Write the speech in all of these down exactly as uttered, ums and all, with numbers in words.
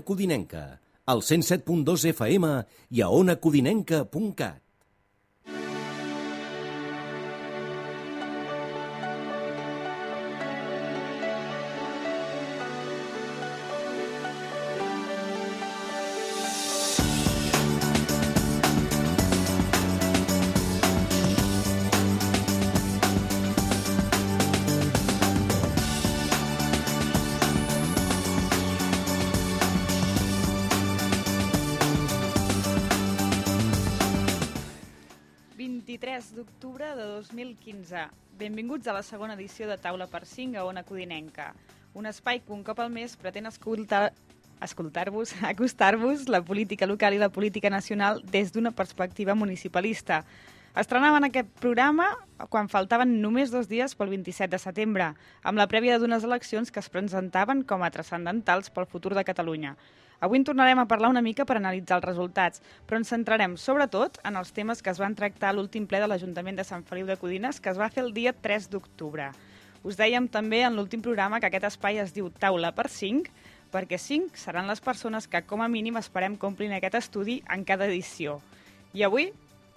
Codinenca, al cent set punt dos F M i a ona codinenca punt cat. vint-i-tres d'octubre de dos mil quinze. Benvinguts a la segona edició de Taula per cinc a Ona Codinenca, un espai que un cop al mes pretén escoltar, escoltar-vos, acostar-vos la política local i la política nacional des d'una perspectiva municipalista. Estrenaven aquest programa quan faltaven només dos dies pel vint-i-set de setembre, amb la prèvia d'unes eleccions que es presentaven com a transcendentals pel futur de Catalunya. Avui en tornarem a parlar una mica per analitzar els resultats, però ens centrarem sobretot en els temes que es van tractar a l'últim ple de l'Ajuntament de Sant Feliu de Codines, que es va fer el dia tres d'octubre. Us dèiem també en l'últim programa que aquest espai es diu Taula per cinc, perquè cinc seran les persones que com a mínim esperem que omplin aquest estudi en cada edició. I avui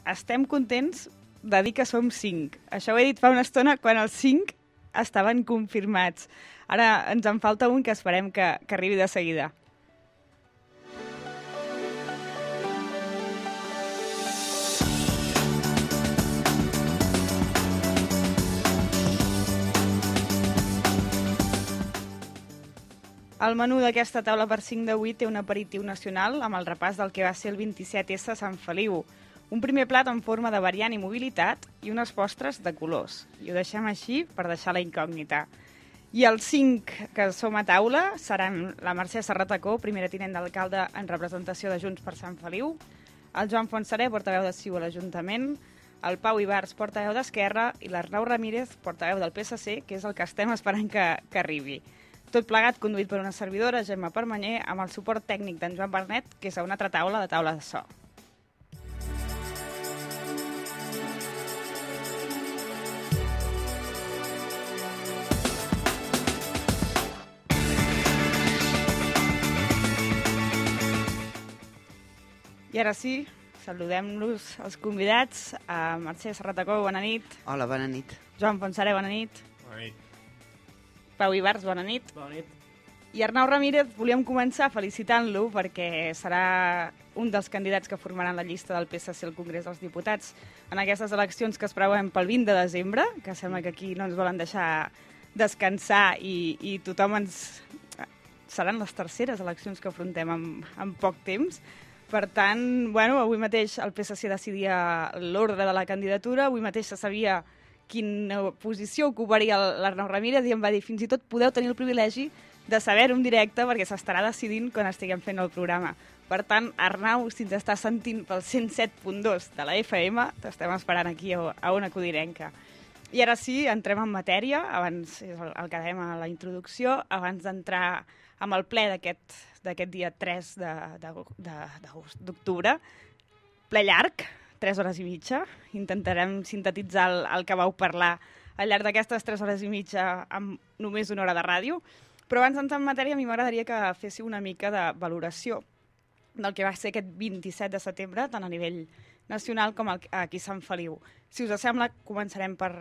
estem contents de dir que som cinc. Això ho he dit fa una estona quan els cinc estaven confirmats. Ara ens en falta un que esperem que, que arribi de seguida. El menú d'aquesta taula per cinc d'avui té un aperitiu nacional amb el repàs del que va ser el vint-i-set essa a Sant Feliu. Un primer plat en forma de variant i mobilitat i unes postres de colors. I ho deixem així per deixar la incògnita. I els cinc que som a taula seran la Mercè Serratacó, primera tinent d'alcalde en representació de Junts per Sant Feliu, el Joan Fontserè, portaveu de C I U a l'Ajuntament, el Pau Ibars, portaveu d'Esquerra, i l'Arnau Ramírez, portaveu del P S C, que és el que estem esperant que, que arribi. Tot plegat conduït per una servidora, Gemma Permanyer, amb el suport tècnic d'en Joan Bernet, que és a una altra taula de taula de so. I ara sí, saludem-los els convidats. A Mercè Serratacó, bona nit. Hola, bona nit. Joan Fontserè, bona nit. Bona nit. Pau Ibars, bona nit. Bona nit. I Arnau Ramírez, volíem començar felicitant-lo perquè serà un dels candidats que formaran la llista del P S C al Congrés dels Diputats en aquestes eleccions que es preveuen pel vint de desembre, que sembla que aquí no ens volen deixar descansar i, i tothom ens... Seran les terceres eleccions que afrontem en, en poc temps. Per tant, bueno, avui mateix el P S C decidia l'ordre de la candidatura, avui mateix se sabia quina posició ocuparia l'Arnau Ramírez i em va dir fins i tot podeu tenir el privilegi de saber-ho en directe perquè s'estarà decidint quan estiguem fent el programa. Per tant, Arnau, si ens estàs sentint pel cent set punt dos de la F M, t'estem esperant aquí a Ona Codinenca. I ara sí, entrem en matèria, abans és el que dèiem a la introducció, abans d'entrar amb el ple d'aquest dia tres d'octubre. Ple llarg, tres hores i mitja. Intentarem sintetitzar el, el que vau parlar al llarg d'aquestes tres hores i mitja amb només una hora de ràdio. Però abans d'entrar en matèria, a mi m'agradaria que féssiu una mica de valoració del que va ser aquest vint-i-set de setembre, tant a nivell nacional com aquí a Sant Feliu. Si us sembla, començarem per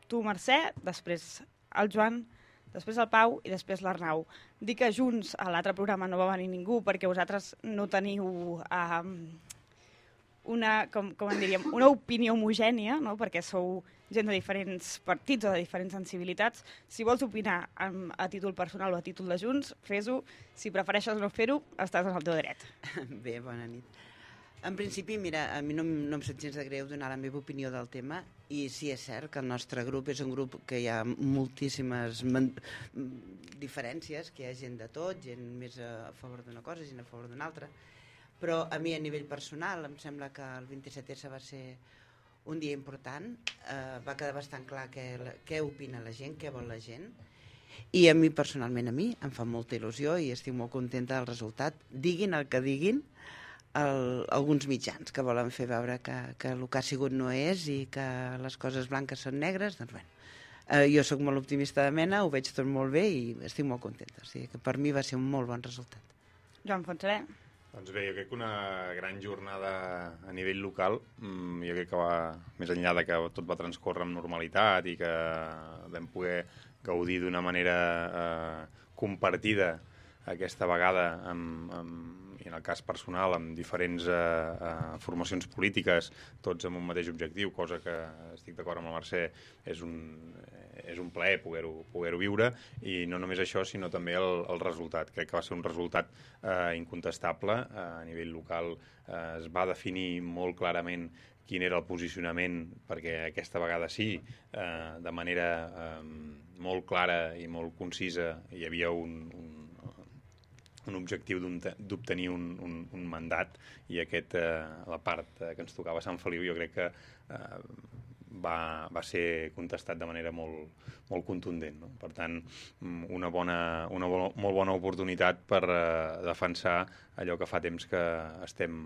tu, Mercè, després el Joan, després el Pau i després l'Arnau. Dic que junts a l'altre programa no va venir ningú perquè vosaltres no teniu... Eh, una, com, com en diríem, una opinió homogènia, no? Perquè sou gent de diferents partits o de diferents sensibilitats. Si vols opinar amb, a títol personal o a títol de Junts, fes-ho. Si prefereixes no fer-ho, estàs en el teu dret. Bé, bona nit. En principi, mira, a mi no, no em sap gens de greu donar la meva opinió del tema i sí, és cert que el nostre grup és un grup que hi ha moltíssimes diferències, que hi ha gent de tot, gent més a favor d'una cosa, gent a favor d'una altra. Però a mi a nivell personal em sembla que el vint-i-set essa va ser un dia important, eh, va quedar bastant clar què, què opina la gent, què vol la gent, i a mi personalment a mi em fa molta il·lusió i estic molt contenta del resultat. Diguin el que diguin el, alguns mitjans que volen fer veure que, que el que ha sigut no és i que les coses blanques són negres, doncs bueno, eh, jo sóc molt optimista de mena, ho veig tot molt bé i estic molt contenta, o sigui que per mi va ser un molt bon resultat. Joan Fontserè. Doncs bé, jo crec que una gran jornada a nivell local, jo crec que va més enllà de que tot va transcórrer amb normalitat i que vam poder gaudir d'una manera eh, compartida aquesta vegada amb, amb, i en el cas personal amb diferents eh, eh, formacions polítiques, tots amb un mateix objectiu, cosa que estic d'acord amb la Mercè, és un, és un plaer poder-ho poder-ho viure, i no només això, sinó també el, el resultat. Crec que va ser un resultat eh, incontestable. Eh, a nivell local eh, es va definir molt clarament quin era el posicionament, perquè aquesta vegada sí, eh, de manera eh, molt clara i molt concisa, hi havia un, un un objectiu d'obtenir un, un, un mandat, i aquest, eh, la part eh, que ens tocava a Sant Feliu, jo crec que eh, va, va ser contestat de manera molt, molt contundent, no? Per tant, una, bona, una bo, molt bona oportunitat per eh, defensar allò que fa temps que estem,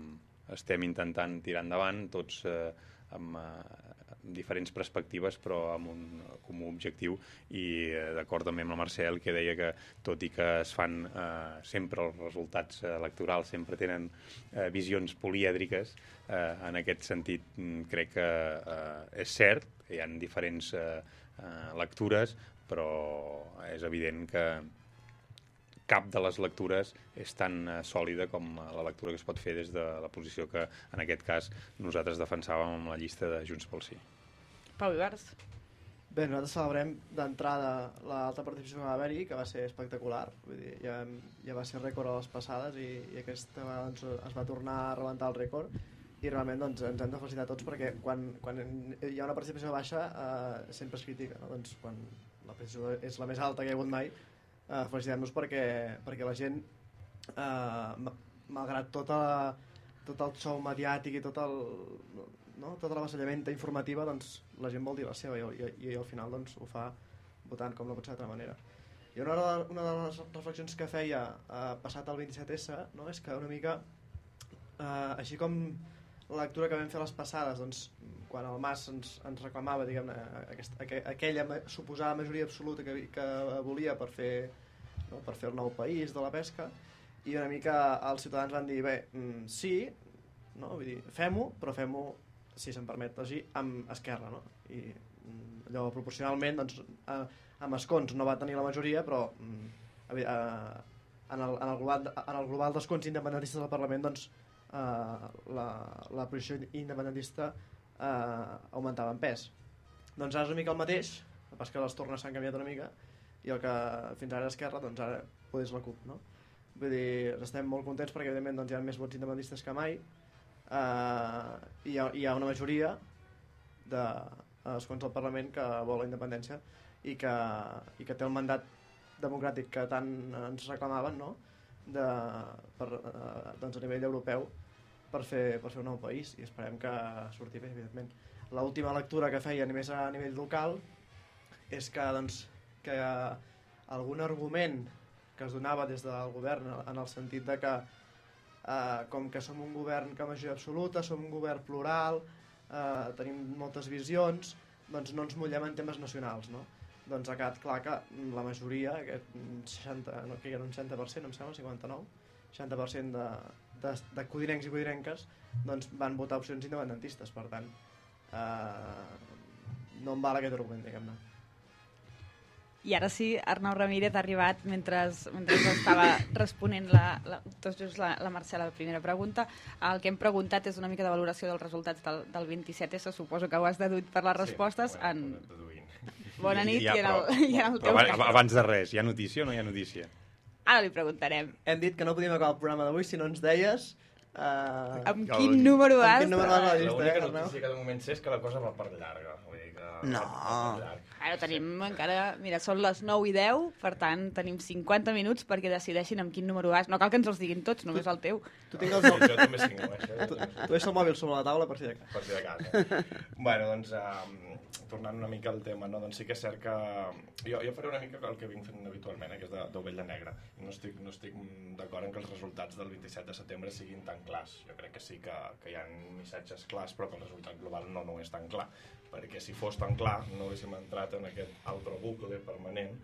estem intentant tirar endavant, tots eh, amb, eh, amb diferents perspectives, però amb un comú objectiu, i eh, d'acord també amb la Mercè, que deia que tot i que es fan eh, sempre els resultats electorals, sempre tenen eh, visions polièdriques, eh, en aquest sentit crec que eh, és cert, hi ha diferents eh, eh, lectures, però és evident que cap de les lectures és tan uh, sòlida com uh, la lectura que es pot fer des de la posició que, en aquest cas, nosaltres defensàvem amb la llista de Junts pel Sí. Pau Ibars. Bé, nosaltres celebrem d'entrada l'alta participació que va haver-hi, que va ser espectacular. Vull dir, ja, ja va ser rècord a les passades, i, i aquesta vegada doncs, es va tornar a rebentar el rècord, i realment doncs, ens hem de felicitar tots, perquè quan, quan hi ha una participació baixa eh, sempre es critica, no? Doncs quan la participació és la més alta que hi ha hagut mai, Uh, felicitem-nos perquè, perquè la gent, uh, malgrat tota la, tot el show mediàtic i tot el, no? tota l'avasallament informativa, doncs la gent vol dir la seva, i, i, i al final doncs, ho fa votant, com no pot ser d'altra manera. I una, una de les reflexions que feia uh, passat el vint-i-set esse, no? És que una mica, uh, així com la lectura que vam fer les passades, doncs, quan el Mas ens, ens reclamava, diguem-ne, aquesta, aquella suposada majoria absoluta que, que volia per fer, no, per fer el nou país de la pesca, i una mica els ciutadans van dir, bé, mm, sí, no, vull dir, fem-ho, però fem-ho, si se'm permet així, amb Esquerra, no? I mm, allò proporcionalment, doncs, eh, amb escons no va tenir la majoria, però mm, eh, en, el, en, el global, en el global d'escons independentistes del Parlament, doncs, eh, la, la posició independentista Uh, augmentava en pes. Doncs ara és una mica el mateix, el pas que les tornes s'han canviat una mica, i el que fins ara era Esquerra, doncs ara potser és la CUP, no? Vull dir, estem molt contents perquè evidentment doncs, hi ha més vots independentistes que mai, uh, i hi ha, hi ha una majoria d'escons del Parlament que vol la independència i que, i que té el mandat democràtic que tant ens reclamaven, no? De, per, uh, doncs a nivell europeu, per fer, per fer un nou país, i esperem que surti bé, evidentment. L'última lectura que feia només a nivell local és que, doncs, que algun argument que es donava des del govern en el sentit de que eh, com que som un govern que majoria absoluta, som un govern plural, eh, tenim moltes visions, doncs no ens mullem en temes nacionals, no? Doncs ha quedat clar que la majoria, aquest seixanta, no, que era un seixanta per cent, em sembla, cinquanta-nou, seixanta per cent de, de, de codinencs i codinenques, doncs van votar opcions independentistes. Per tant, eh, no em val aquest argument, diguem-ne. I ara sí, Arnau Ramírez ha arribat mentre, mentre estava responent la, la, tot just la, la Mercè a la primera pregunta. El que hem preguntat és una mica de valoració dels resultats del, del vint-i-set esse, suposo que ho has deduït per les respostes. Sí, en... Bona nit, i, ja, i, en el, però, i en el teu cas. Abans de res, hi ha notícia o no hi ha notícia? Ara li preguntarem. Hem dit que no podíem acabar el programa d'avui si no ens deies... Uh, amb quin número vas? L'única notícia que de moment sé és que la cosa va per llarga. Vull dir que no. Ara tenim encara... Mira, són les nou i deu, per tant, tenim cinquanta minuts perquè decideixin amb quin número vas. No cal que ens els diguin tots, només el teu. Tu tinc els... Sí, jo també cinc, eh? Tu, tu deixa el mòbil sobre la taula per si de cas. Per si de cas. Bueno, doncs, um, tornant una mica al tema, no? Doncs sí que és cert que... Jo, jo faré una mica el que vinc fent habitualment, eh? Que és d'ovella negra. I no estic, no estic d'acord en que els resultats del vint-i-set de setembre siguin tan clars. Jo crec que sí que, que hi ha missatges clars, però que el resultat global no, no és tan clar. Perquè si fos tan clar no haguéssim entrat en aquest altre bucle permanent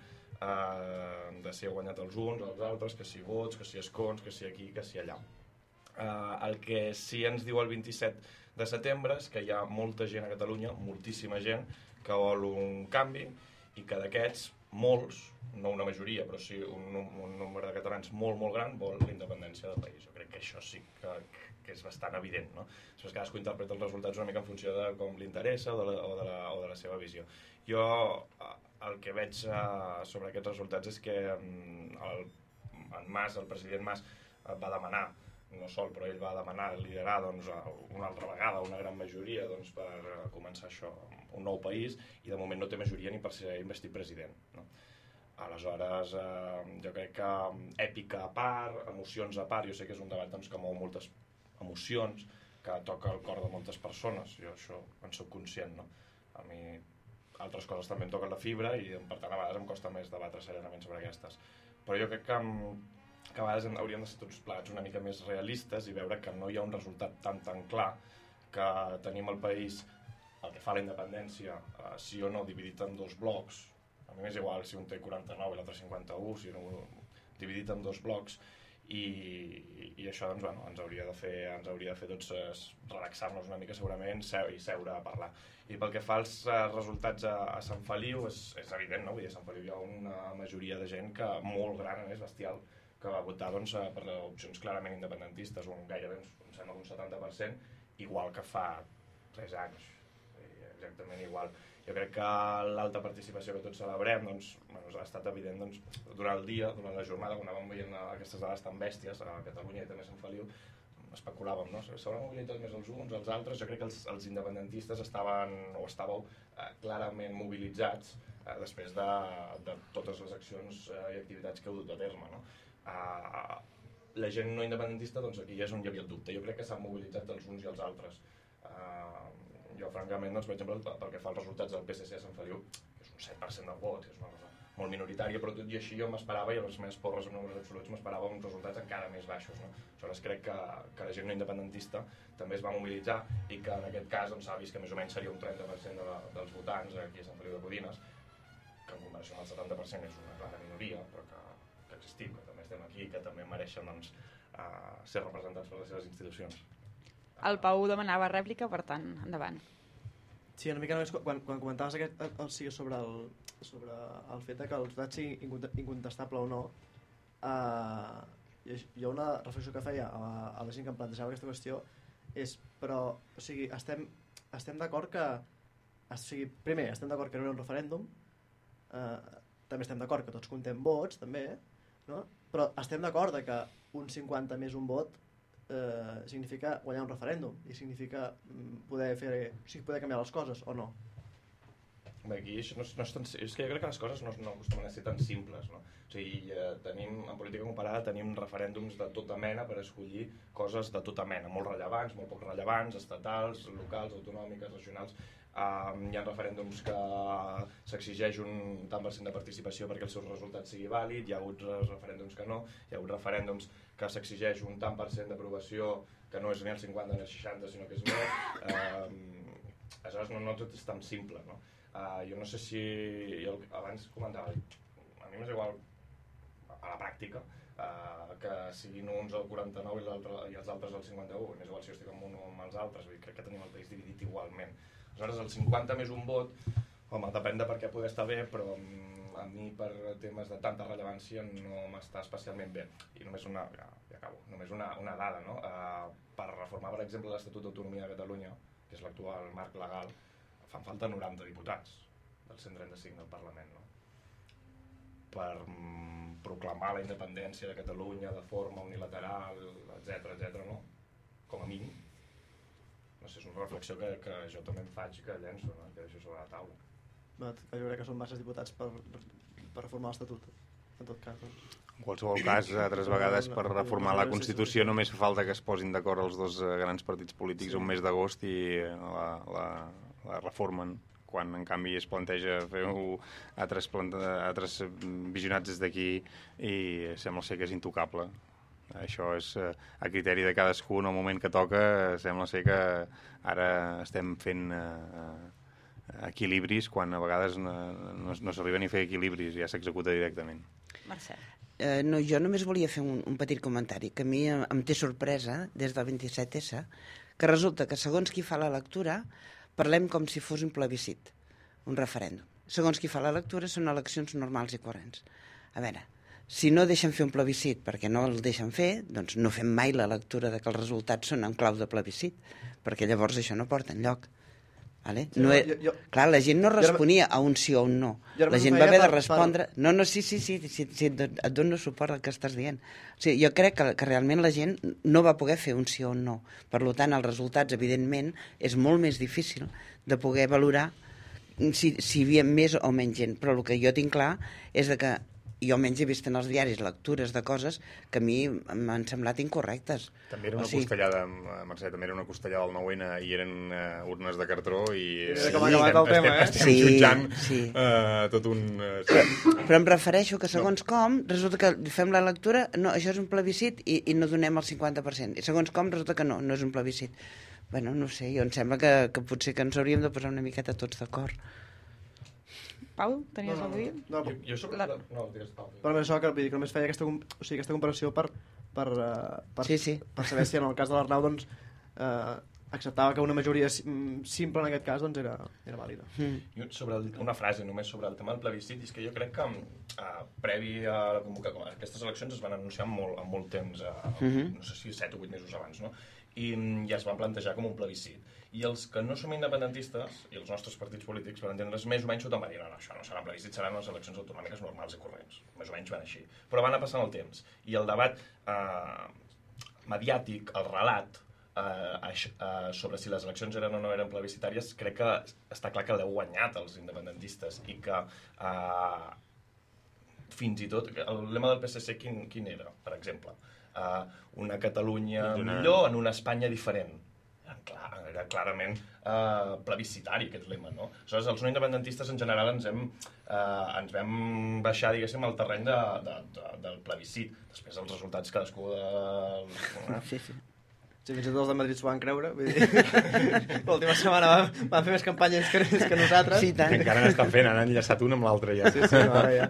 uh, de si ha guanyat els uns, els altres, que si vots, que si escons, que si aquí, que si allà. Uh, el que sí ens diu el vint-i-set de setembre és que hi ha molta gent a Catalunya, moltíssima gent, que vol un canvi i que d'aquests, molts, no una majoria, però sí un, un nombre de catalans molt, molt gran, vol la independència del país. Jo crec que això sí que, que és bastant evident, no? Després cadascú interpreta els resultats una mica en funció de com li interessa o de la, o de la, o de la seva visió. Jo el que veig uh, sobre aquests resultats és que um, el, en Mas, el president Mas, uh, va demanar, no sol, però ell va demanar liderar doncs, una altra vegada, una gran majoria doncs, per uh, començar això, un nou país, i de moment no té majoria ni per ser investit president, no? Aleshores, eh, jo crec que èpica a part, emocions a part, jo sé que és un debat doncs, que mou moltes emocions, que toca el cor de moltes persones, jo això en soc conscient, no? A mi altres coses també em toquen la fibra i per tant a vegades em costa més debatre serenament sobre aquestes. Però jo crec que, que a vegades hauríem de ser tots plegats una mica més realistes i veure que no hi ha un resultat tan tan clar, que tenim el país, el que fa la independència, eh, sí o no, dividit en dos blocs. A mi m'és igual si un té quaranta-nou i l'altre cinquanta-u, si no, dividit en dos blocs, i, i això doncs, bueno, ens hauria de fer, ens hauria de fer tots eh, relaxar-nos una mica segurament seu, i seure a parlar. I pel que fa als eh, resultats a, a Sant Feliu, és, és evident, no? Vull dir, a Sant Feliu hi ha una majoria de gent que molt gran, és bestial, que va votar doncs, per opcions clarament independentistes, un gairebé, em sembla, un setanta per cent, igual que fa tres anys, exactament igual. Jo crec que l'alta participació que tots celebrem doncs, bueno, ha estat evident doncs, durant el dia, durant la jornada, quan anàvem veient aquestes dades tan bèsties a Catalunya i també a Sant Feliu, especulàvem, no? S'hauran mobilitat més els uns, els altres. Jo crec que els, els independentistes estaven, o estàveu eh, clarament mobilitzats eh, després de, de totes les accions eh, i activitats que heu dut a terme, no? Eh, la gent no independentista, doncs aquí és on hi havia el dubte. Jo crec que s'han mobilitzat els uns i els altres. Eh, Jo, francament, doncs, per exemple, pel que fa als resultats del P S C a Sant Feliu, que és un set per cent del vot, és una cosa molt minoritària, però tot i així jo m'esperava, i a les meves porres en números absoluts, m'esperava uns resultats encara més baixos, no? Aleshores, crec que, que la gent no independentista també es va mobilitzar i que en aquest cas doncs, s'ha vist que més o menys seria un trenta per cent de la, dels votants aquí a Sant Feliu de Codines, que en comparació amb el setanta per cent és una clara minoria, però que, que existim, que també estem aquí, que també mereixen doncs, uh, ser representats per les seves institucions. El Pau demanava rèplica, per tant, endavant. Sí, una mica només quan, quan comentaves aquest, el, sí, sobre, el, sobre el fet que el resultat sigui incontestable o no, eh, hi ha una reflexió que feia a, a la gent que em plantejava aquesta qüestió, és, però, o sigui, estem, estem d'acord que, o sigui, primer, estem d'acord que no hi ha un referèndum, eh, també estem d'acord que tots comptem vots, també, no? Però estem d'acord que un cinquanta més un vot Eh, significa guanyar un referèndum i significa poder fer, o sigui, poder canviar les coses o no. Bé, aquí no, no és, tan, és que jo crec que les coses no, no acostumen a ser tan simples, no? O sigui, eh, tenim, en política comparada tenim referèndums de tota mena per escollir coses de tota mena, molt rellevants, molt poc rellevants, estatals, locals, autonòmiques, regionals. Um, hi ha referèndums que s'exigeix un tant per cent de participació perquè el seu resultat sigui vàlid, hi ha hagut referèndums que no, hi ha hagut referèndums que s'exigeix un tant per cent d'aprovació que no és ni el cinquanta ni el seixanta, sinó que és més. Um, aleshores no, no tot és tan simple, no? Uh, jo no sé si... Jo abans comentava, a mi m'és igual a la pràctica uh, que siguin uns al quaranta-nou i, i els altres al cinquanta-u, m'és igual si jo estic amb un o amb els altres, vull dir, crec que tenim el país dividit igualment. Aleshores el cinquanta més un vot, home, depèn de per què poder estar bé, però a mi per temes de tanta rellevància no m'està especialment bé. I només una, ja, ja acabo, només una, una dada, no? Uh, per reformar, per exemple, l'Estatut d'Autonomia de Catalunya, que és l'actual marc legal, fan falta noranta diputats del cent trenta-cinc del Parlament, no? Per mm, proclamar la independència de Catalunya de forma unilateral, etcètera, etcètera, no? Com a mínim. No sé, és una reflexió que, que jo també em faig, que llenço, no? Que deixo sobre la taula. Jo crec que són masses diputats per, per reformar l'Estatut, en tot cas. Doncs. En qualsevol cas, altres vegades per reformar la Constitució només fa falta que es posin d'acord els dos grans partits polítics sí. un mes d'agost i la, la, la reformen, quan en canvi es planteja fer altres, altres visionats des d'aquí i sembla ser que és intocable. Això és a criteri de cadascú en el moment que toca. Sembla ser que ara estem fent... Eh, equilibris quan a vegades no, no, no s'arriba ni a fer equilibris, ja s'executa directament. Mercè. Eh, no, jo només volia fer un, un petit comentari, que a mi em, em té sorpresa, des del vint-i-set essa, que resulta que segons qui fa la lectura parlem com si fos un plebiscit, un referèndum. Segons qui fa la lectura són eleccions normals i corrents. A veure, si no deixen fer un plebiscit perquè no el deixen fer, doncs no fem mai la lectura de que els resultats són en clau de plebiscit, perquè llavors això no porta enlloc. Vale? Sí, no, jo, jo, clar, la gent no responia a un sí o un no. La gent va haver de respondre... No, no, sí, sí, sí, sí, sí et dono suport al que estàs dient. O sigui, jo crec que, que realment la gent no va poder fer un sí o un no. Per tant, els resultats, evidentment, és molt més difícil de poder valorar si, si hi havia més o menys gent. Però el que jo tinc clar és de que jo almenys he vist en els diaris lectures de coses que a mi m'han semblat incorrectes. També era una o sigui... costellada, Mercè, també era una costellada del nou ene i eren uh, urnes de cartró i sí, com ha acabat el tema, eh? estem sí, jutjant sí. Uh, tot un... Uh, Però em refereixo que segons no. com resulta que fem la lectura, no, això és un plebiscit i, i no donem el cinquanta per cent. I segons com resulta que no, no és un plebiscit. Bueno, no sé, jo em sembla que, que potser que ens hauríem de posar una miqueta tots d'acord. Pau, tenies no, no, alguna cosa a dir? No, no, jo, jo sobre... La... No, digues, Pau. Però això que, que només feia aquesta, o sigui, aquesta comparació per, per, uh, per, sí, sí. per saber si en el cas de l'Arnau doncs, uh, acceptava que una majoria simple en aquest cas doncs, era, era vàlida. Mm. Sobre el, una frase només sobre el tema del plebiscit, és que jo crec que uh, previ a la convocatòria, aquestes eleccions es van anunciar amb molt, amb molt temps, uh, mm-hmm. no sé si set o vuit mesos abans, no? I, i es van plantejar com un plebiscit. I els que no som independentistes, i els nostres partits polítics, van entendre's més o menys sota van dir, no, no, això no serà un plebiscit, seran les eleccions autonòmiques normals i corrents. Més o menys van així. Però van anar passant el temps. I el debat eh, mediàtic, el relat, eh, eh, sobre si les eleccions eren o no eren plebiscitàries, crec que està clar que l'heu guanyat els independentistes i que eh, fins i tot, el lema del P S C quin, quin era, per exemple? Eh, una Catalunya millor en una Espanya diferent. Clar, era clarament eh, plebiscitari aquest lema, no? Aleshores, els no independentistes en general ens hem eh, ens vam baixar, diguéssim, al terreny de, de, de, del plebiscit. Després els resultats cadascú de... Sí, sí. Sí, fins i tot els de Madrid s'ho van creure. Vull dir, l'última setmana van, van fer més campanyes que, que nosaltres. Sí, tant. Encara n'estan fent, han enllaçat un amb l'altre ja. Sí, sí, no, ara ja.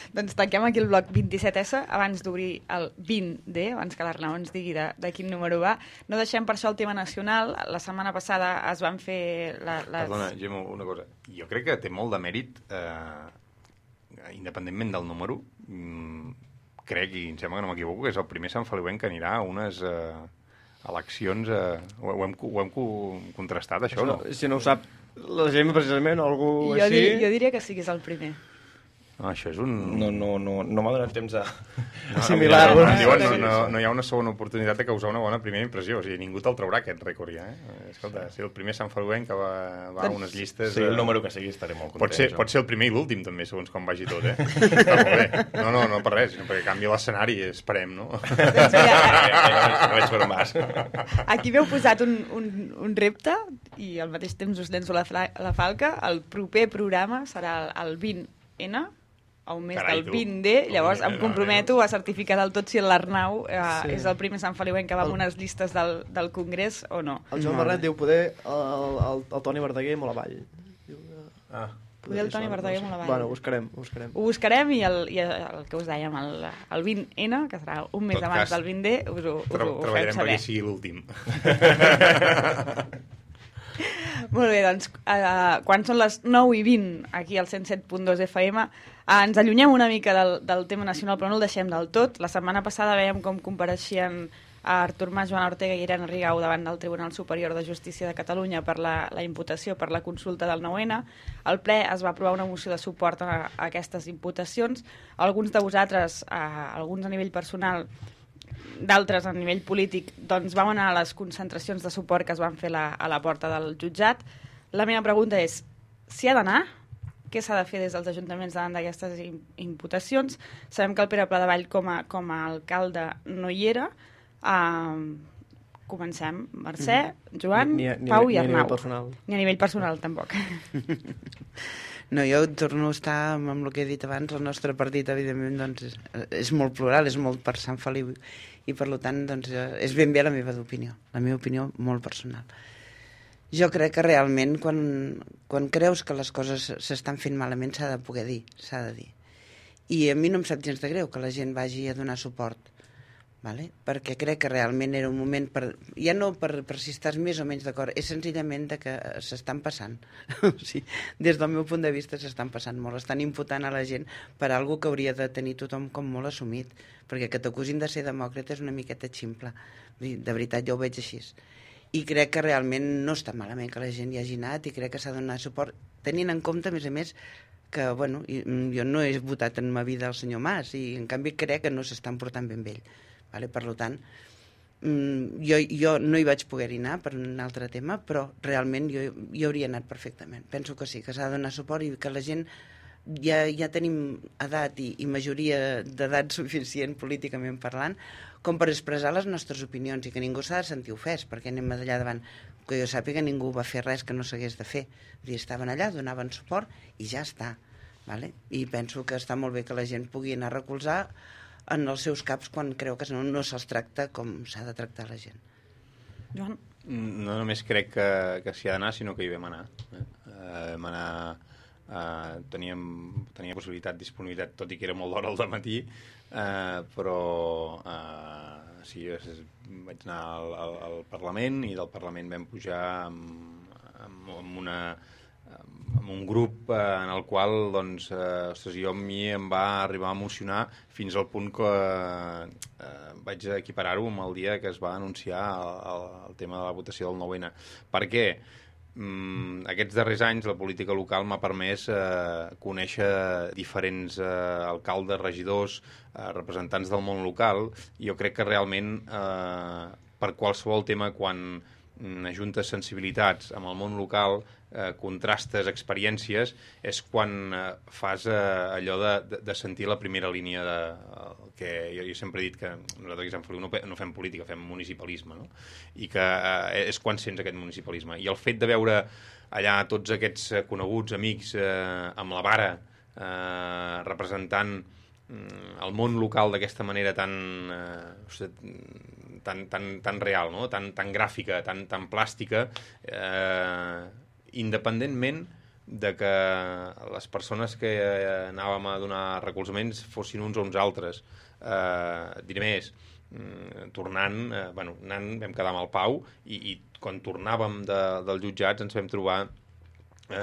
Doncs tanquem aquí el bloc vint-i-set essa abans d'obrir el vint de, abans que l'Arnau ens digui de, de quin número va. No deixem per això el tema nacional. La setmana passada es van fer... La, les... Perdona, Gemma, una cosa. Jo crec que té molt de mèrit, eh, independentment del número, mm, crec, i em sembla que no m'equivoco, que és el primer Sant Feliuenc que anirà a unes... Eh, eleccions, eh, ho, ho, hem, ho hem contrastat, això, no? Si no ho sap la gent, precisament, o algú jo així... Dir, jo diria que sí que és el primer. No, això és un... No, no, no, no m'ha donat temps a... No, Similar. No, no, no, no, no hi ha una segona oportunitat de causar una bona primera impressió. O sigui, ningú te'l traurà, aquest rècord, ja. Eh? Escolta, si el primer Sant Feliuenc que va, va a unes llistes... Sí, el número que sigui estaré molt content. Pot ser, pot ser el primer i l'últim, també, segons com vagi tot, eh? Està molt bé. No, no, no per res, sinó perquè canvia l'escenari, esperem, no? Doncs mira, no veig per más. Aquí m'heu posat un, un, un repte i al mateix temps us llenço la, la falca. El proper programa serà el, el vint ene, a un mes Carai, del vint de, llavors em comprometo a certificar del tot si l'Arnau eh, sí. és el primer Sant Feliuenc que va amb unes llistes del, del Congrés o no. El Joan Barret diu poder el, el, el Toni Verdaguer molt avall. Diu, ah. Poder el Toni Verdaguer molt avall. Bueno, ho buscarem, ho buscarem. Ho buscarem i el, i el que us dèiem, el, el vint ene, que serà un mes abans cas, del vint de, us ho, us ho, ho fem saber. Treballarem perquè sigui l'últim. Molt bé, doncs, uh, quan són les nou i vint aquí al cent set punt dos efa ema, uh, ens allunyem una mica del, del tema nacional, però no el deixem del tot. La setmana passada veiem com compareixien a Artur Mas, Joan Ortega i Irene Rigau davant del Tribunal Superior de Justícia de Catalunya per la, la imputació per la consulta del nou ene. Al ple es va aprovar una moció de suport a, a aquestes imputacions. Alguns de vosaltres, uh, alguns a nivell personal, d'altres a nivell polític, doncs vam anar a les concentracions de suport que es van fer la, a la porta del jutjat. La meva pregunta és, si ha d'anar? Què s'ha de fer des dels ajuntaments davant d'aquestes imputacions? Sabem que el Pere Pladevall com a, com a alcalde no hi era. Uh, comencem. Mercè, Joan, ni, ni, Pau ni, i Arnau. Ni a nivell personal. Ni a nivell personal, tampoc. No, jo torno a estar amb, amb el que he dit abans. El nostre partit, evidentment, doncs, és, és molt plural, és molt per Sant Feliu, i per tant, doncs, és ben bé la meva opinió, la meva opinió molt personal. Jo crec que realment quan, quan creus que les coses s'estan fent malament s'ha de poder dir, s'ha de dir. I a mi no em sap gens de greu que la gent vagi a donar suport, vale? Perquè crec que realment era un moment, per, ja no per, per si estàs més o menys d'acord, és senzillament de que s'estan passant. Sí, des del meu punt de vista s'estan passant molt, estan imputant a la gent per algo que hauria de tenir tothom com molt assumit, perquè que t'acusin de ser demòcrata és una miqueta ximple, de veritat jo ho veig així. I crec que realment no està malament que la gent hi hagi anat i crec que s'ha de donar suport, tenint en compte, a més a més, que bueno, jo no he votat en ma vida el senyor Mas i en canvi crec que no s'estan portant ben bé ell. Vale? Per tant, jo, jo no hi vaig poder anar per un altre tema, però realment jo hi hauria anat perfectament. Penso que sí, que s'ha de donar suport i que la gent ja, ja tenim edat i, i majoria d'edat suficient políticament parlant com per expressar les nostres opinions i que ningú s'ha de sentir ofès, perquè anem allà davant. Que jo sàpiga, ningú va fer res que no s'hagués de fer. I estaven allà, donaven suport i ja està. Vale? I penso que està molt bé que la gent pugui anar a recolzar en els seus caps quan creu que no, no se'ls tracta com s'ha de tractar la gent. Joan? No només crec que, que s'hi ha d'anar, sinó que hi vam anar. Eh? Uh, vam anar... Uh, teníem, tenia possibilitat, disponibilitat, tot i que era molt d'hora al dematí, uh, però uh, sí, vaig anar al, al, al Parlament i del Parlament vam pujar amb, amb, amb una... amb un grup eh, en el qual doncs, eh, ostres, jo a mi em va arribar a emocionar fins al punt que eh, vaig equiparar-ho amb el dia que es va anunciar el, el, el tema de la votació del nou ene. Per què? Mm, aquests darrers anys la política local m'ha permès eh, conèixer diferents eh, alcaldes, regidors, eh, representants del món local, i jo crec que realment eh, per qualsevol tema quan ajuntes sensibilitats amb el món local, eh, contrastes experiències, és quan eh, fas eh, allò de, de, de sentir la primera línia de, el que jo, jo sempre he dit que nosaltres aquí a Sant Feliu no, no fem política, fem municipalisme, no? I que eh, és quan sents aquest municipalisme. I el fet de veure allà tots aquests coneguts, amics, eh, amb la vara, eh, representant el món local d'aquesta manera tan, eh, tan, tan, tan real, no? tan, tan gràfica, tan, tan plàstica, eh, independentment de que les persones que anàvem a donar recolzaments fossin uns o uns altres. Eh, diré més, tornant, eh, bueno, anant, vam quedar amb el Pau i, i quan tornàvem de, dels jutjats ens vam trobar Eh,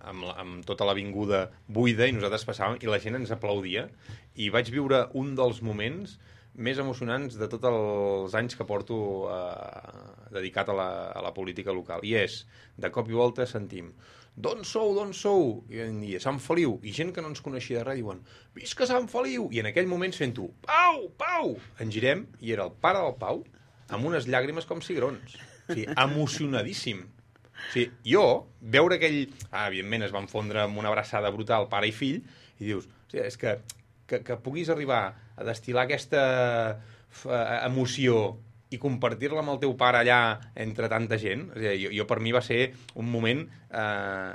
amb, la, amb tota l'avinguda buida i nosaltres passàvem i la gent ens aplaudia i vaig viure un dels moments més emocionants de tots els anys que porto eh, dedicat a la, a la política local, i és, de cop i volta sentim d'on sou, d'on sou? I en dia, Sant Feliu, i gent que no ens coneixia de res diuen, visca Sant Feliu! I en aquell moment sento, Pau, Pau! Ens girem i era el pare del Pau amb unes llàgrimes com cigrons, o sigui, emocionadíssim. Sí, jo, veure aquell... Ah, evidentment, es van fondre amb una abraçada brutal, pare i fill, i dius, o sigui, és que, que, que puguis arribar a destil·lar aquesta emoció i compartir-la amb el teu pare allà entre tanta gent, o sigui, jo, jo per mi va ser un moment eh,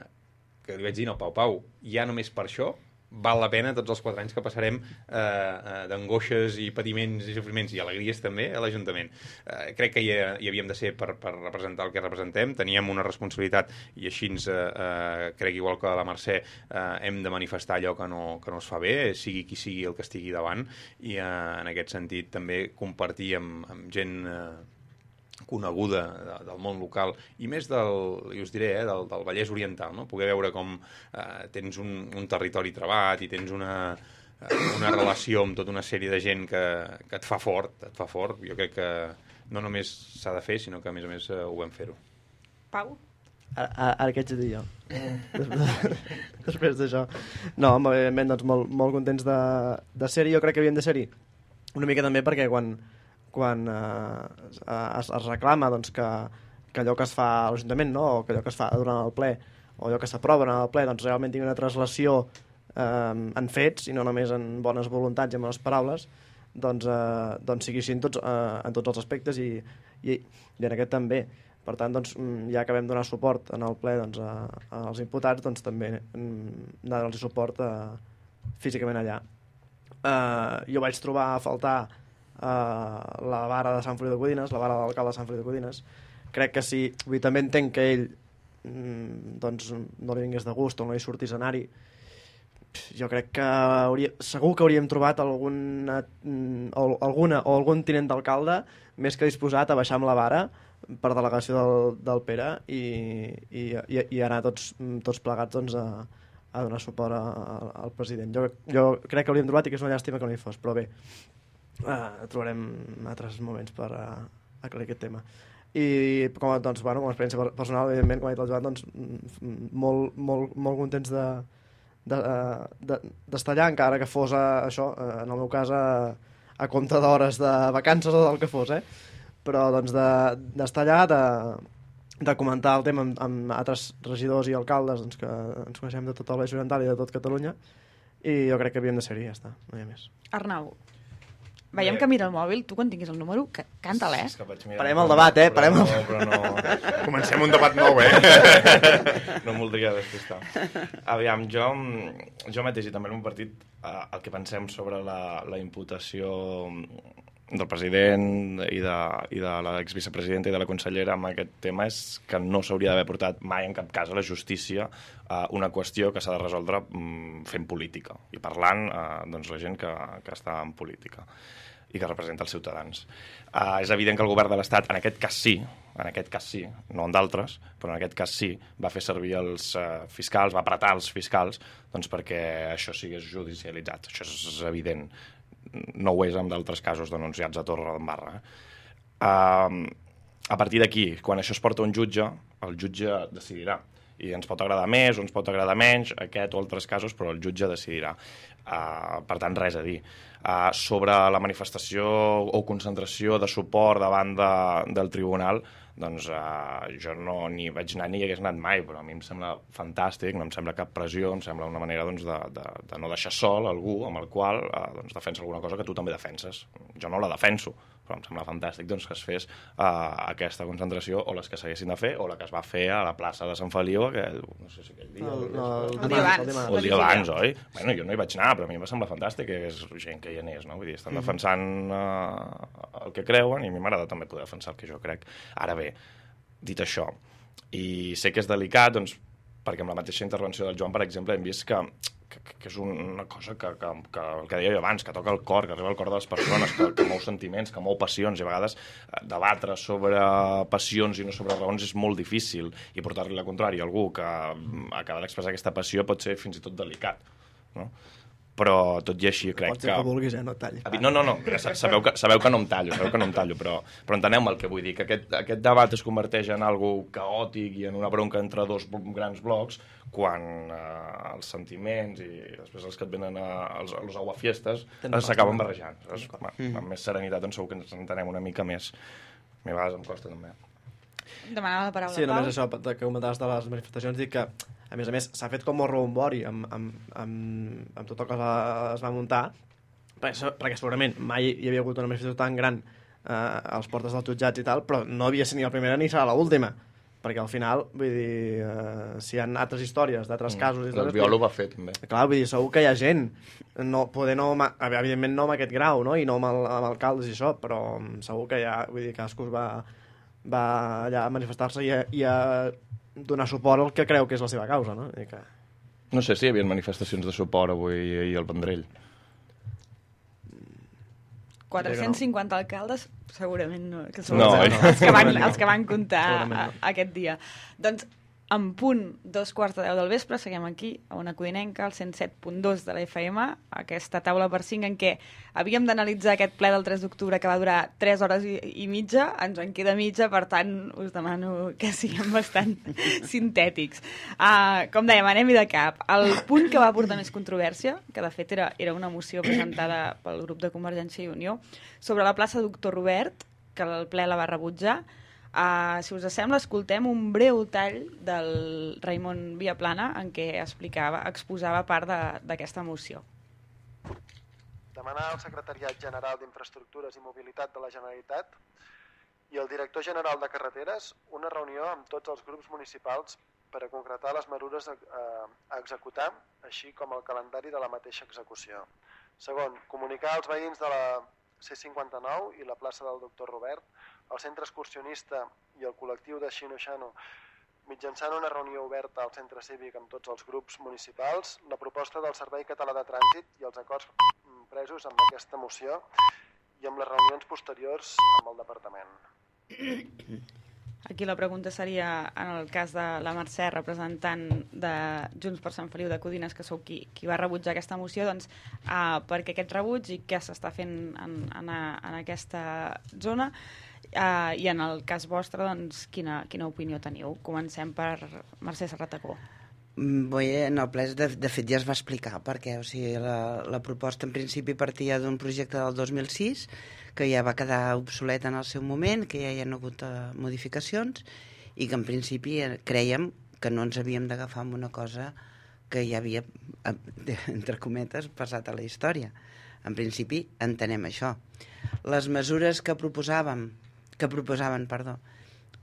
que li vaig dir, no, Pau, Pau, ja només per això val la pena tots els quatre anys que passarem eh, eh, d'angoixes i patiments i sofriments i alegries també a l'Ajuntament. Eh, crec que hi, hi havíem de ser per, per representar el que representem, teníem una responsabilitat i així ens, eh, crec igual que la Mercè, eh, hem de manifestar allò que no, que no es fa bé, sigui qui sigui el que estigui davant, i eh, en aquest sentit també compartir amb, amb gent eh, coneguda de, del món local i més del, i us diré, eh, del, del Vallès Oriental, no? Poder veure com eh, tens un, un territori trebat i tens una, eh, una relació amb tota una sèrie de gent que, que et fa fort, et fa fort. Jo crec que no només s'ha de fer, sinó que a més a més eh, ho vam fer-ho. Pau? Ara, ara què haig de dir jo? Després d'això. No, evidentment, doncs molt, molt contents de, de ser-hi. Jo crec que havíem de ser-hi una mica també perquè quan quan eh, es, es reclama doncs, que, que allò que es fa a l'Ajuntament, no? O que allò que es fa durant el ple o allò que s'aprova durant el ple doncs, realment tingui una translació eh, en fets i no només en bones voluntats i en bones paraules, doncs, eh, doncs sigui així en tots, eh, en tots els aspectes i, i, i en aquest també. Per tant, doncs, ja que vam donar suport en el ple doncs, a, als imputats, doncs també anar-los suport eh, físicament allà. Eh, jo vaig trobar a faltar Uh, la vara de Sant Feliu de Codines, la vara de l'alcalde de Sant Feliu de Codines, crec que sí, vull dir, també entenc que ell mm, doncs no li vingués de gust o no li sortís anar-hi. Jo crec que hauria, segur que hauríem trobat alguna, o, alguna o algun tinent d'alcalde més que disposat a baixar amb la vara per delegació del, del Pere i, i, i, i anar tots, tots plegats doncs, a, a donar suport a, a, al president. Jo, jo crec que hauríem trobat i que és una llàstima que no hi fos, però bé, uh, trobarem altres moments per uh, aclarir aquest tema. I com, doncs, bueno, com a experiència personal, evidentment, com ha dit el Joan, doncs, molt, molt, molt contents de d'estar de, de, allà, encara que fos a, això, en el meu cas a, a compte d'hores de vacances o del que fos, eh? Però doncs d'estar de, allà, de, de comentar el tema amb, amb altres regidors i alcaldes doncs, que ens coneixem de tot el Baix Oriental i de tot Catalunya, i jo crec que havíem de ser-hi, ja està, no hi ha més. Arnau, veiem que mira el mòbil, tu quan tinguis el número, que canta-la, eh? Parem el debat, eh? Parem el... No, però no... Comencem un debat nou, eh? No em voldria despistar. Aviam, jo, jo mateix i també el meu partit, eh, el que pensem sobre la, la imputació del president i de, i de l'exvicepresidenta i de la consellera amb aquest tema és que no s'hauria d'haver portat mai en cap cas a la justícia eh, una qüestió que s'ha de resoldre mm, fent política i parlant eh, doncs, la gent que, que està en política i que representa els ciutadans. Uh, és evident que el govern de l'Estat, en aquest cas sí, en aquest cas sí, no en d'altres, però en aquest cas sí, va fer servir els uh, fiscals, va apretar els fiscals doncs perquè això sigués judicialitzat. Això és evident. No ho és amb d'altres casos denunciats a Torre d'Embarra. Uh, a partir d'aquí, quan això es porta a un jutge, el jutge decidirà. I ens pot agradar més o ens pot agradar menys, aquest o altres casos, però el jutge decidirà. Uh, per tant, res a dir. Uh, sobre la manifestació o concentració de suport davant de, del tribunal, doncs uh, jo no ni vaig anar ni hi hagués anat mai, però a mi em sembla fantàstic, no em sembla cap pressió, em sembla una manera doncs, de, de, de no deixar sol algú amb el qual uh, doncs, defensa alguna cosa que tu també defenses. Jo no la defenso, però em sembla fantàstic doncs, que es fes uh, aquesta concentració o les que s'haguessin de fer o la que es va fer a la plaça de Sant Feliu aquell, no sé si aquell dia el, no, el, el, el dia abans, o el dia abans, oi? Bueno, jo no hi vaig anar, però a mi em va semblar fantàstic que hi hagués gent que hi anés, no? Vull dir, estan defensant uh, el que creuen i a mi m'agrada també poder defensar el que jo crec. Ara bé, dit això, i sé que és delicat, doncs, perquè amb la mateixa intervenció del Joan, per exemple, hem vist que, que, que és una cosa que, que, que el que deia jo abans, que toca el cor, que arriba al cor de les persones, que, que mou sentiments, que mou passions, i a vegades eh, debatre sobre passions i no sobre raons és molt difícil, i portar-li la contrària a algú que acaba d'expressar aquesta passió pot ser fins i tot delicat, no? Però tot i així crec Pots dir que... que vulguis, eh? No et talli. No, no, no, sabeu que, sabeu que no em tallo, sabeu que no em tallo, però, però enteneu-me el que vull dir, que aquest, aquest debat es converteix en algo caòtic i en una bronca entre dos grans blocs, quan eh, els sentiments i després els que et venen a, als, a los aguafiestes s'acaben barrejant. Mm. Amb més serenitat, doncs segur que ens entenem una mica més. A mi a vegades em costa també. Demanava la paraula. Sí, només això que comentaves de les manifestacions, dic que a més a més s'ha fet com molt rombori amb, amb, amb, amb tot el que es va muntar, perquè, perquè segurament mai hi havia hagut una manifestació tan gran eh, als portes dels jutjats i tal, però no havia sigut ni la primera ni serà l'última, perquè al final, vull dir, eh, si hi ha altres històries d'altres mm. casos... El Biol ho va fer, també. Clar, vull dir, segur que hi ha gent, no, poder no, evidentment no amb aquest grau, no? I no amb, el, amb alcaldes i això, però segur que hi ha, vull dir, cadascú va, va allà a manifestar-se i a, i a donar suport al que creu que és la seva causa, no? I que... No sé si hi havia manifestacions de suport avui i al Vendrell. quatre-cents cinquanta no. alcaldes, segurament no. Que són no, els, no. els, que van, els que van comptar no. a, aquest dia. Doncs, en punt, dos quarts de deu del vespre, seguim aquí, a Ona Codinenca, al cent set punt dos de la F M, aquesta taula per cinc en què havíem d'analitzar aquest ple del tres d'octubre que va durar tres hores i, i mitja, ens en queda mitja, per tant, us demano que siguem bastant sintètics. Uh, com dèiem, anem-hi de cap. El punt que va portar més controvèrsia, que de fet era, era una moció presentada pel grup de Convergència i Unió, sobre la plaça Doctor Robert, que el ple la va rebutjar. Uh, si us sembla, escoltem un breu tall del Raimon Viaplana en què explicava, exposava part d'aquesta moció. Demanar al Secretariat General d'Infraestructures i Mobilitat de la Generalitat i el Director General de Carreteres una reunió amb tots els grups municipals per a concretar les mesures a, a executar, així com el calendari de la mateixa execució. Segon, comunicar als veïns de la C cinquanta-nou i la plaça del Doctor Robert el centre excursionista i el col·lectiu de Xino-Xano mitjançant una reunió oberta al centre cívic amb tots els grups municipals, la proposta del Servei Català de Trànsit i els acords presos amb aquesta moció i amb les reunions posteriors amb el departament. Aquí la pregunta seria, en el cas de la Mercè, representant de Junts per Sant Feliu de Codines, que sou qui, qui va rebutjar aquesta moció, doncs, uh, per què aquest rebuig i què s'està fent en, en, en aquesta zona? Uh, I en el cas vostre, doncs, quina, quina opinió teniu? Comencem per Mercè Serratacó. Bé, en el ple, de, de fet, ja es va explicar perquè, o sigui, la, la proposta en principi partia d'un projecte del dos mil sis que ja va quedar obsolet en el seu moment, que ja hi ha hagut uh, modificacions i que en principi crèiem que no ens havíem d'agafar amb una cosa que ja havia, entre cometes, passat a la història. En principi entenem això. Les mesures que proposàvem que proposaven, perdó,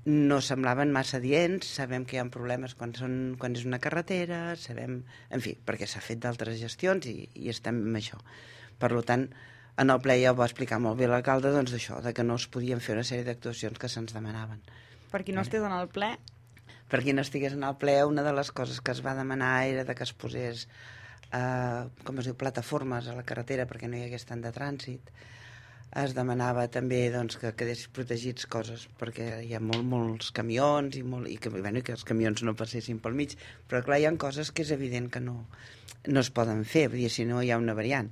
no semblaven massa adients, sabem que hi ha problemes quan, són, quan és una carretera, sabem, en fi, perquè s'ha fet d'altres gestions i, i estem amb això. Per tant, en el ple ja ho va explicar molt bé l'alcalde, doncs d'això, de que no es podien fer una sèrie d'actuacions que se'ns demanaven. Per qui no estigués en el ple? Per qui no estigués en el ple, una de les coses que es va demanar era de que es posés, eh, com es diu, plataformes a la carretera perquè no hi hagués tant de trànsit. Es demanava també doncs, que quedessin protegits coses perquè hi ha molt, molts camions i, molt, i que, bueno, que els camions no passessin pel mig, però clar, hi ha coses que és evident que no, no es poden fer, vull dir, si no hi ha una variant.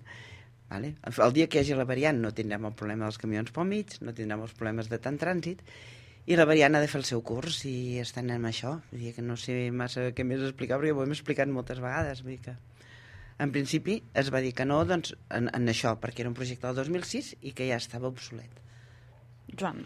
Vale? El dia que hi hagi la variant no tindrem el problema dels camions pel mig, no tindrem els problemes de tant trànsit i la variant ha de fer el seu curs i estan en això. Vull dir que no sé massa què més explicar, però ja ho hem explicat moltes vegades. Vull dir que en principi es va dir que no, doncs, en, en això, perquè era un projecte del dos mil sis i que ja estava obsolet. Joan.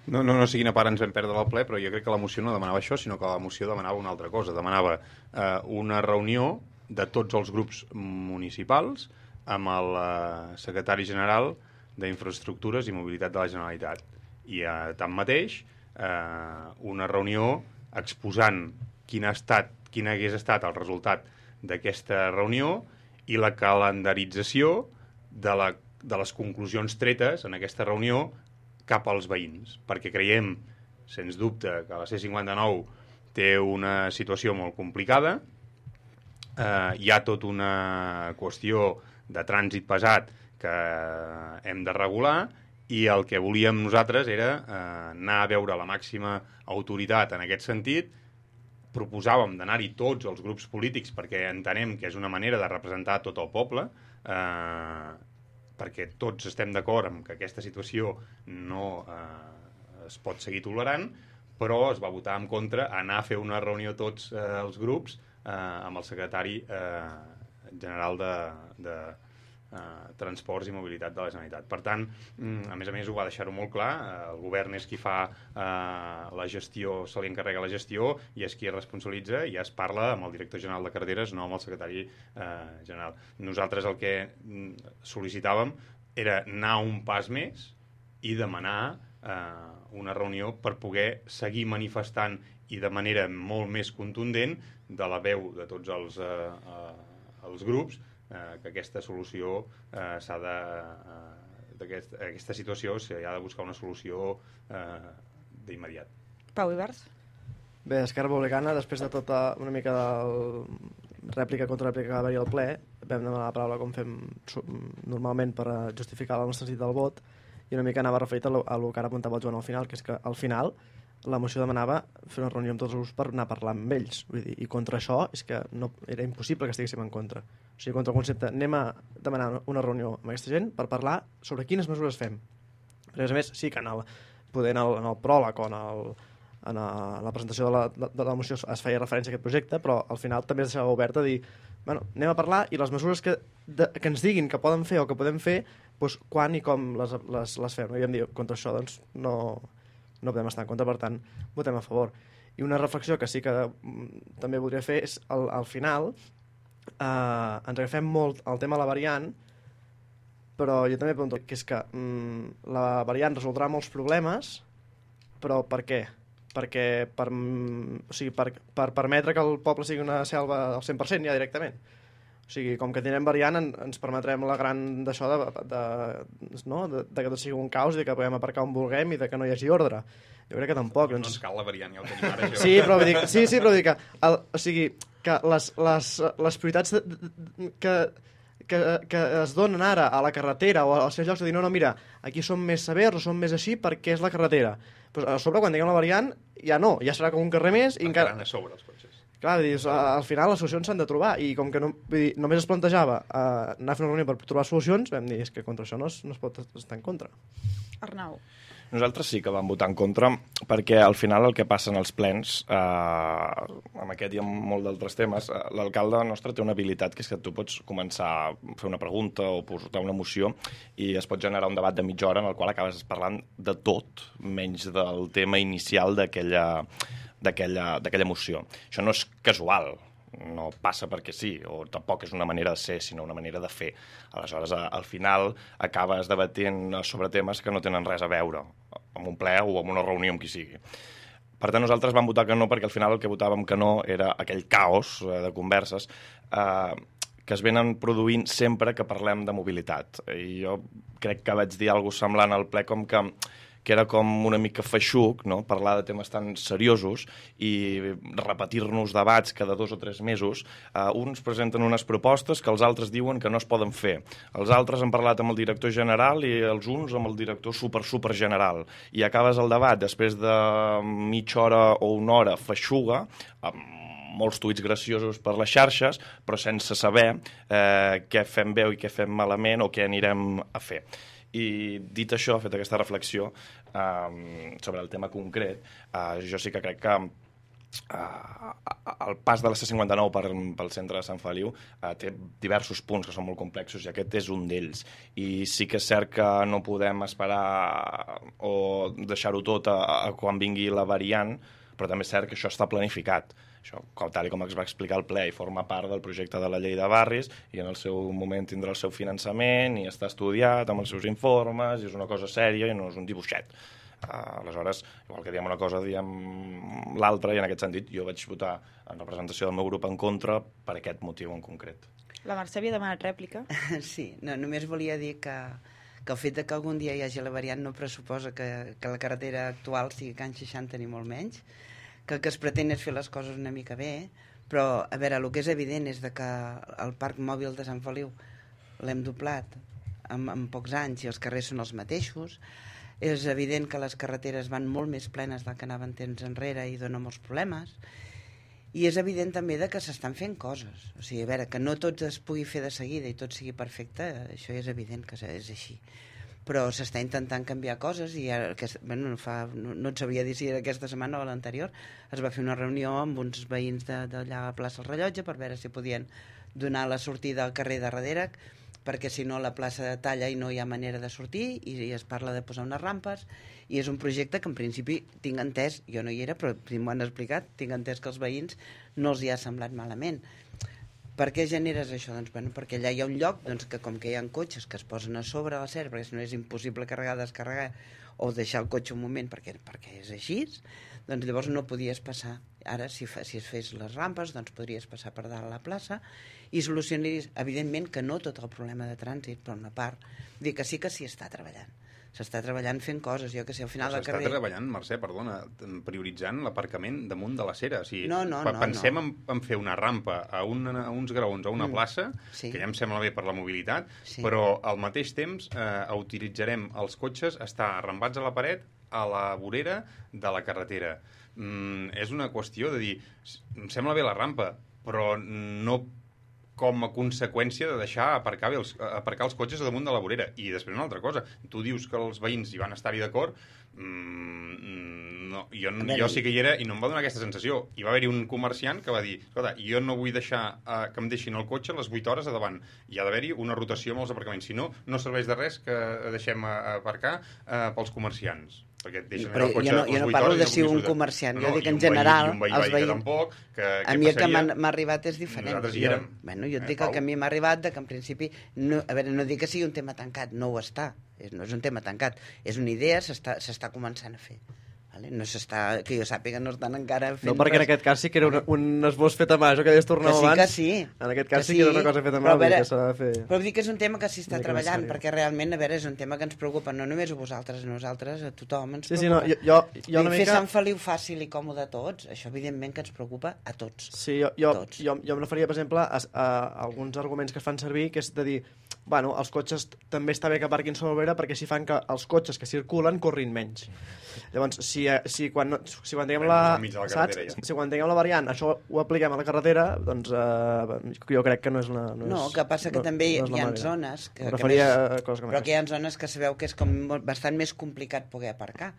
No, no, no sé quina part ens vam perdre al ple, però jo crec que la moció no demanava això, sinó que la moció demanava una altra cosa. Demanava eh, una reunió de tots els grups municipals amb el eh, secretari general d'Infraestructures i Mobilitat de la Generalitat. I eh, tanmateix, eh, una reunió exposant quin ha estat, quin hagués estat el resultat d'aquesta reunió i la calendarització de, la, de les conclusions tretes en aquesta reunió cap als veïns, perquè creiem, sens dubte, que la C cinquanta-nou té una situació molt complicada, eh, hi ha tota una qüestió de trànsit pesat que hem de regular i el que volíem nosaltres era eh, anar a veure la màxima autoritat en aquest sentit. Proposàvem d'anar-hi tots els grups polítics perquè entenem que és una manera de representar tot el poble, eh, perquè tots estem d'acord amb que aquesta situació no eh, es pot seguir tolerant, però es va votar en contra anar a fer una reunió tots eh, els grups eh, amb el secretari eh, general de, de eh, Transports i Mobilitat de la Generalitat. Per tant, a més a més ho va deixar-ho molt clar, el govern és qui fa eh, la gestió, se li encarrega la gestió i és qui es responsabilitza i ja es parla amb el director general de carreteres, no amb el secretari eh, general. Nosaltres el que sol·licitàvem era anar un pas més i demanar eh, una reunió per poder seguir manifestant i de manera molt més contundent de la veu de tots els, eh, eh, els grups Eh, que aquesta solució eh, s'ha de eh, d'aquest, aquesta situació s'ha de buscar una solució eh, d'immediat. Pau Ibars. Bé, Esquerra Republicana, després de tota una mica de rèplica contra rèplica que va haver-hi al ple, vam demanar la paraula com fem normalment per justificar el nostre sentit del vot i una mica anava referit a lo, a lo que ara apuntava el Joan al final, que és que al final la moció demanava fer una reunió amb tots els grups per anar a parlar amb ells. Vull dir, i contra això és que no, era impossible que estiguéssim en contra. O sigui, contra el concepte, anem a demanar una reunió amb aquesta gent per parlar sobre quines mesures fem. Perquè, a més, sí que en el, poder en el, en el pròleg o en, el, en la presentació de la, de, de la moció es feia referència a aquest projecte, però al final també es deixava obert a dir, bueno, anem a parlar i les mesures que, de, que ens diguin que poden fer o que podem fer, doncs, quan i com les, les, les fem. I vam dir, contra això, doncs, no... no podem estar en contra, per tant, votem a favor. I una reflexió que sí que mm, també voldria fer és, al, al final, eh, ens agafem molt al tema de la variant, però jo també pregunto, que és que mm, la variant resoldrà molts problemes, però per què? Perquè per, mm, o sigui, per, per permetre que el poble sigui una selva al cent per cent ja directament. O O sigui, com que tenen variant, en, ens permetrem la gran d'això de, de, no? de, de que tot sigui un caos, de que podem aparcar on vulguem i de que no hi hagi ordre. Jo crec que tampoc. No ens cal la variant, ja ho tenim ara. Sí, però vull dir, sí, sí, però vull dir que, el, o sigui, que les, les, les prioritats de, de, que, que, que es donen ara a la carretera o als seus llocs de dir, no, no, mira, aquí som més severs o som més així perquè és la carretera. Pues a sobre, quan tinguem la variant, ja no, ja serà com un carrer més i encara... a sobre els cotxes. Clar, dius, al final les solucions s'han de trobar i com que no, vull dir, només es plantejava uh, anar a fer una reunió per trobar solucions, vam dir, és que contra això no es, no es pot estar en contra. Arnau. Nosaltres sí que vam votar en contra perquè al final el que passa en els plens, eh, amb aquest i amb molt d'altres temes, eh, l'alcalde nostre té una habilitat que és que tu pots començar a fer una pregunta o portar una moció i es pot generar un debat de mitja hora en el qual acabes parlant de tot, menys del tema inicial d'aquella d'aquella moció. Això no és casual, no passa perquè sí, o tampoc és una manera de ser, sinó una manera de fer. Aleshores, al final, acabes debatent sobre temes que no tenen res a veure amb un ple o amb una reunió amb qui sigui. Per tant, nosaltres vam votar que no, perquè al final el que votàvem que no era aquell caos de converses eh, que es venen produint sempre que parlem de mobilitat. I jo crec que vaig dir alguna cosa semblant al ple com que que era com una mica feixuc, no? Parlar de temes tan seriosos i repetir-nos debats cada dos o tres mesos. Uh, uns presenten unes propostes que els altres diuen que no es poden fer. Els altres han parlat amb el director general i els uns amb el director super, super general. I acabes el debat després de mitja hora o una hora feixuga, amb molts tuits graciosos per les xarxes, però sense saber eh, què fem bé i què fem malament o què anirem a fer. I dit això, fet aquesta reflexió eh, sobre el tema concret, eh, jo sí que crec que eh, el pas de la C cinquanta-nou per, pel centre de Sant Feliu eh, té diversos punts que són molt complexos i aquest és un d'ells. I sí que és cert que no podem esperar o deixar-ho tot a, a quan vingui la variant, però també és cert que això està planificat. Això, tal com es va explicar al ple, i forma part del projecte de la llei de barris i en el seu moment tindrà el seu finançament i està estudiat amb els seus informes i és una cosa sèria i no és un dibuixet. Uh, aleshores, igual que diem una cosa, diem l'altra, i en aquest sentit jo vaig votar en representació del meu grup en contra per aquest motiu en concret. La Mercè havia demanat rèplica. Sí, no, només volia dir que, que el fet de que algun dia hi hagi la variant no pressuposa que, que la carretera actual sigui Can seixanta ni molt menys, que el que es pretén és fer les coses una mica bé, però, a veure, el que és evident és de que el parc mòbil de Sant Feliu l'hem doblat en, en pocs anys i els carrers són els mateixos. És evident que les carreteres van molt més plenes del que anaven temps enrere i donen molts problemes. I és evident també de que s'estan fent coses. O sigui, a veure, que no tot es pugui fer de seguida i tot sigui perfecte, això és evident que és així. Però s'està intentant canviar coses i ara, que, bueno, no, fa, no, no et sabria dir si era aquesta setmana o l'anterior, es va fer una reunió amb uns veïns d'allà a plaça El Rellotge per veure si podien donar la sortida al carrer de darrere, perquè si no la plaça talla i no hi ha manera de sortir, i, i es parla de posar unes rampes, i és un projecte que en principi tinc entès, jo no hi era, però si m'ho han explicat, tinc entès que els veïns no els hi ha semblat malament. Per què generes això? Doncs, bueno, perquè allà hi ha un lloc doncs, que com que hi ha cotxes que es posen a sobre la serra, perquè si no és impossible carregar, descarregar o deixar el cotxe un moment perquè, perquè és així, doncs llavors no podies passar. Ara, si, fa, si es fes les rampes, doncs podries passar per dalt a la plaça i solucionaries, evidentment que no tot el problema de trànsit, però una part. Dir que sí que s'hi està treballant. S'està treballant fent coses, jo que sé, al final del carrer... S'està treballant, Mercè, perdona, prioritzant l'aparcament damunt de la cera. O sigui, no, no, no, pensem no. En, en fer una rampa a, un, a uns graons, a una mm. plaça, sí. que ja em sembla bé per la mobilitat, sí. però al mateix temps eh, utilitzarem els cotxes, estar arrambats a la paret, a la vorera de la carretera. Mm, és una qüestió de dir, em sembla bé la rampa, però no com a conseqüència de deixar aparcar, els, aparcar els cotxes damunt de la vorera. I després una altra cosa, tu dius que els veïns hi van estar-hi d'acord, mm, no, jo, jo sí que hi era i no em va donar aquesta sensació. Hi va haver-hi un comerciant que va dir, escolta, jo no vull deixar uh, que em deixin el cotxe les vuit hores a davant. Hi ha d'haver-hi una rotació amb els aparcaments. Si no, no serveix de res que deixem aparcar uh, pels comerciants. Perquè et deixen però el cotxe jo no, jo no parlo de si un comerciant, no, no, jo dic en general veí, els veïns, tampoc, que, a mi el que m'ha arribat és diferent. Nosaltres hi érem. Jo, bueno, jo et eh, dic el que a mi m'ha arribat de que en principi, no, a veure, no dic que sigui un tema tancat, no ho està, és, no és un tema tancat, és una idea, s'està començant a fer. Vale? No s'està, que jo sàpiga, no estan encara fent No, perquè en aquest cas sí que era un, un esbós fet a mà, això que deies tornar que sí, abans. que sí. En aquest cas que sí que era una cosa feta a mà, però, a veure, que s'ha de fer... Però vull dir que és un tema que s'hi està Una mica treballant, més perquè realment, a veure, és un tema que ens preocupa, no només a vosaltres, a nosaltres, a tothom ens Sí, sí, preocupa. no, jo, jo, jo una Fer mica... Sant Feliu fàcil i còmode a tots, això evidentment que ens preocupa a tots. Sí, jo, jo, Tots. jo, jo em referia, per exemple, a, a alguns arguments que es fan servir, que és de dir, bueno, els cotxes també està bé que aparquin sobre l'obrera perquè així fan que els cotxes que circulen corrin menys. Llavors, si, si, quan, si quan tinguem la, la saps? ja. Si quan tinguem la variant això ho apliquem a la carretera, doncs eh, jo crec que no és una... No, No, és, que passa que no, també no és hi la ha manera. zones... Que, Em que referia més, a coses com però que hi aquestes. ha zones que sabeu que és com molt- bastant més complicat poder aparcar.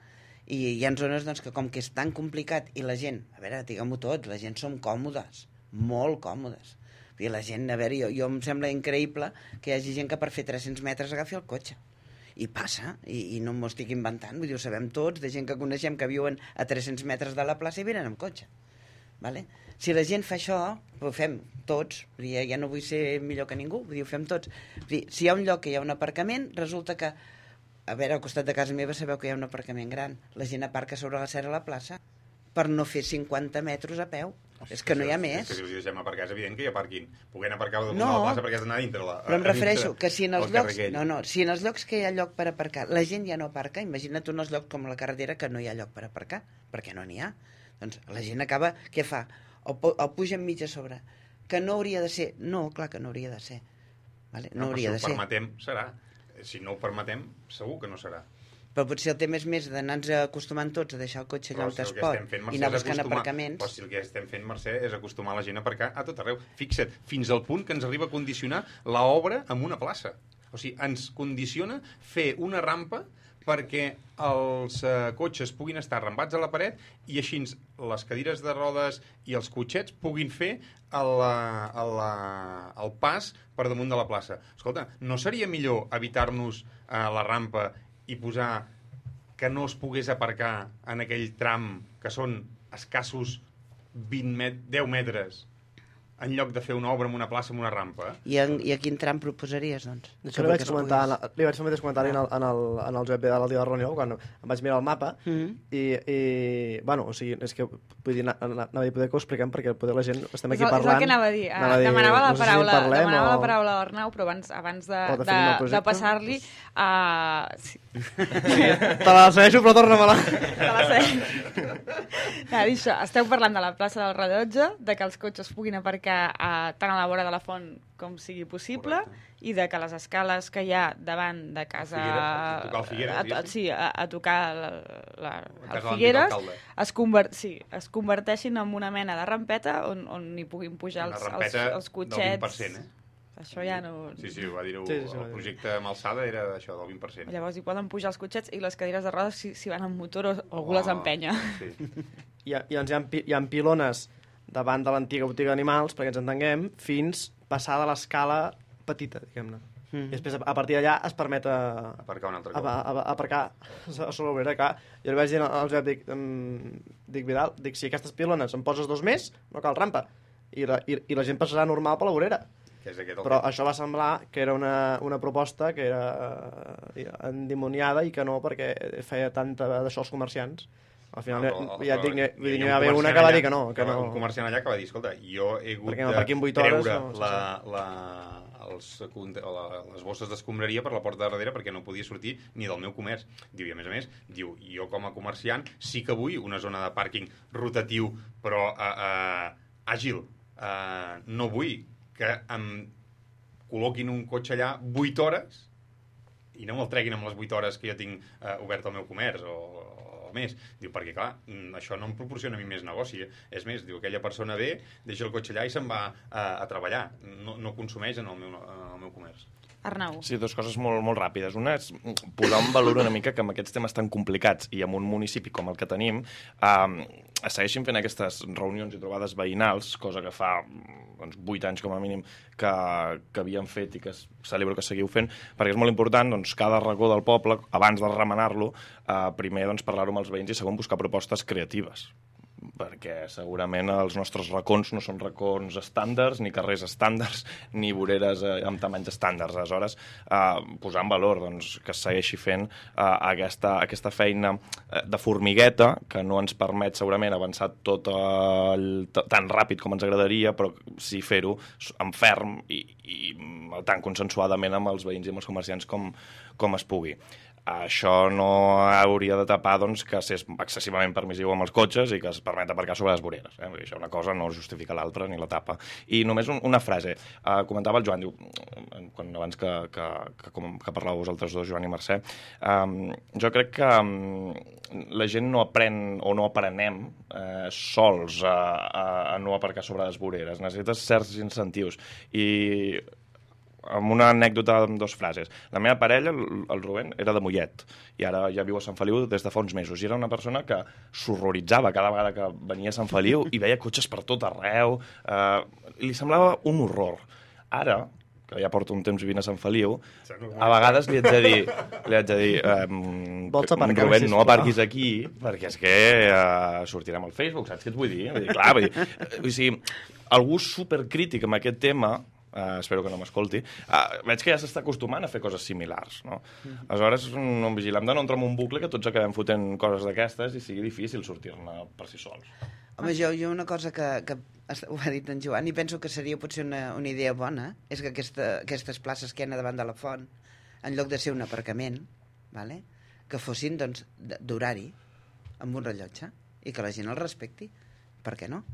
I hi ha zones doncs, que com que és tan complicat i la gent, a veure, diguem-ho tot, la gent som còmodes, molt còmodes. I la gent, a veure, jo, jo em sembla increïble que hi hagi gent que per fer tres-cents metres agafi el cotxe. I passa, i, i no m'ho estic inventant, vull dir, ho sabem tots, de gent que coneixem que viuen a tres-cents metres de la plaça i venen amb cotxe. Vale? Si la gent fa això, ho fem tots, vull dir, ja no vull ser millor que ningú, vull dir, ho fem tots. Vull dir, si hi ha un lloc que hi ha un aparcament, resulta que, a veure, al costat de casa meva sabeu que hi ha un aparcament gran, la gent aparca sobre la serra a la plaça per no fer cinquanta metres a peu. És que no hi ha més. És que si els deixem aparcar és evident que hi aparquin. Puguem aparcar damunt No, de la plaça perquè has d'anar dintre la... Però em refereixo que si en els el llocs... carrer aquell. No, no, si en els llocs que hi ha lloc per aparcar la gent ja no aparca, imagina't un els llocs com la carretera que no hi ha lloc per aparcar, perquè no n'hi ha. Doncs la gent acaba... Què fa? O, pu- o puja enmig a sobre. Que no hauria de ser. No, clar que no hauria de ser. Vale? No, No, hauria però de si ho ser. permetem, serà. Si no ho permetem, segur que no serà. Però potser el tema és més d'anar-nos acostumant tots a deixar el cotxe allà Però on si el es que pot estem fent, Mercè, i anar és buscant acostumar- aparcaments. Però si el que estem fent, Mercè, és acostumar la gent a aparcar a tot arreu. Fixa't, fins al punt que ens arriba a condicionar l'obra amb una plaça. O sigui, ens condiciona fer una rampa perquè els eh, cotxes puguin estar arrambats a la paret i així les cadires de rodes i els cotxets puguin fer el, eh, el, eh, el pas per damunt de la plaça. Escolta, no seria millor evitar-nos eh, la rampa i posar que no es pogués aparcar en aquell tram que són escassos vint met deu metres en lloc de fer una obra en una plaça amb una rampa? I, en, I a quin tram proposaries, doncs? Això li vaig comentar, en el, li vaig fer el mateix comentari en el, en el, en el Josep Vidal el dia de la reunió, quan em vaig mirar el mapa, Mm -hmm. i, i, bueno, o sigui, és que, vull dir, anava a dir poder que ho expliquem, perquè poder la gent estem És aquí el, parlant... és el que anava a dir. anava a dir, demanava la no sé si en paraula, parlem demanava o- la paraula a l'Arnau, però abans, abans de, O de de, fer un nou de, projecte. passar-li... Uh, sí, Te la segueixo, però torna-me-la. te la sé. Anava a dir això, esteu parlant de la plaça del Rellotge, de que els cotxes puguin aparcar uh, tant a la vora de la font com sigui possible, Correcte. i de que les escales que hi ha davant de casa... Figueres, a tocar el Figueres, a, a, diguéssim. sí, a, a tocar la, la, A el casa de l'antic Figueres, alcalde. es, conver sí, es converteixin en una mena de rampeta on, on hi puguin pujar Una els, els, rampeta els del cotxets. vint per cent, eh? Això ja no... Sí, sí, ho va dir-ho. Sí, sí, sí, ho va El dir. projecte amb alçada era això, del vint per cent. Llavors hi poden pujar els cotxets i les cadires de rodes si, si van amb motor o, o algú les empenya. Sí. I, i doncs hi ha, pi- hi ha pilones davant de l'antiga botiga d'animals, perquè ens entenguem, fins passar de l'escala petita, diguem-ne. Mm. I després, a, a partir d'allà, es permet a, Aparcar un altre a, cop. a, a, aparcar a sobre l'obrera. Clar, jo li vaig dir al Josep, dic, um, dic, Vidal, dic, si aquestes pilones en poses dos més, no cal rampa. I la, i, i la gent passarà normal per l'obrera. Que és aquest el Però que- això va semblar que era una, una proposta que era eh, endimoniada i que no, perquè feia tanta d'això als comerciants. Al final, No, no, però- ja et però dic, hi vull dir, havia n'hi un va haver una comerciant que va allà- dir que no. Que no. Un comerciant allà que va dir, escolta, jo he hagut Perquè de aparquin vuit hores, treure no, sí, la, la, els, conte- o la, les bosses d'escombraria per la porta de darrere perquè no podia sortir ni del meu comerç. Diu, i a més a més, diu, jo com a comerciant sí que vull una zona de pàrquing rotatiu, però uh, uh, àgil. Uh, no vull que em col·loquin un cotxe allà vuit hores i no me'l treguin amb les vuit hores que jo tinc uh, obert al meu comerç o, o més. Diu, perquè clar, mm, això no em proporciona a mi més negoci. Eh? És més, diu, aquella persona ve, deixa el cotxe allà i se'n va a, a treballar. No, no consumeix en el meu, en el meu comerç. Arnau. Sí, dues coses molt, molt ràpides. Una és posar en valor una mica que amb aquests temes tan complicats i en un municipi com el que tenim eh, es segueixin fent aquestes reunions i trobades veïnals, cosa que fa doncs, vuit anys com a mínim que, que havíem fet i que es celebro que seguiu fent, perquè és molt important doncs, cada racó del poble, abans de remenar-lo, eh, primer doncs, parlar-ho amb els veïns i segon buscar propostes creatives. perquè segurament els nostres racons no són racons estàndards, ni carrers estàndards, ni voreres eh, amb tamanys estàndards. Aleshores, eh, posar en valor doncs, que es segueixi fent eh, aquesta, aquesta feina eh, de formigueta, que no ens permet segurament avançar tot el, tan ràpid com ens agradaria, però sí fer-ho en ferm i, i tan consensuadament amb els veïns i amb els comerciants com, com es pugui. Això no hauria de tapar doncs, que s'és excessivament permissiu amb els cotxes i que es permet aparcar sobre les voreres. Eh? Això una cosa no justifica l'altra ni la tapa. I només un, una frase. Uh, comentava el Joan, diu, quan, abans que, que, que, que parlàveu vosaltres dos, Joan i Mercè, um, jo crec que um, la gent no aprèn o no aprenem uh, sols a, a, a no aparcar sobre les voreres. Necessites certs incentius. I amb una anècdota amb dues frases. La meva parella, el Rubén, era de Mollet i ara ja viu a Sant Feliu des de fa uns mesos. I era una persona que s'horroritzava cada vegada que venia a Sant Feliu i veia cotxes per tot arreu. Eh, li semblava un horror. Ara, que ja porto un temps vivint a Sant Feliu, a vegades li haig de dir, li haig de dir eh, Rubén, no aparquis aquí, perquè és que eh, sortirem al Facebook, saps què et vull dir? Vull dir, clar, vull dir, vull dir, algú supercrític amb aquest tema, Uh, espero que no m'escolti, uh, veig que ja s'està acostumant a fer coses similars, no? Mm-hmm. Aleshores, no vigilem de no entrar en un bucle que tots acabem fotent coses d'aquestes i sigui difícil sortir-ne per si sols. Home, jo, jo una cosa que, que ho ha dit en Joan i penso que seria potser una, una idea bona és que aquesta, aquestes places que hi ha davant de la font, en lloc de ser un aparcament, vale? Que fossin doncs, d'horari, amb un rellotge, i que la gent el respecti. Per què no?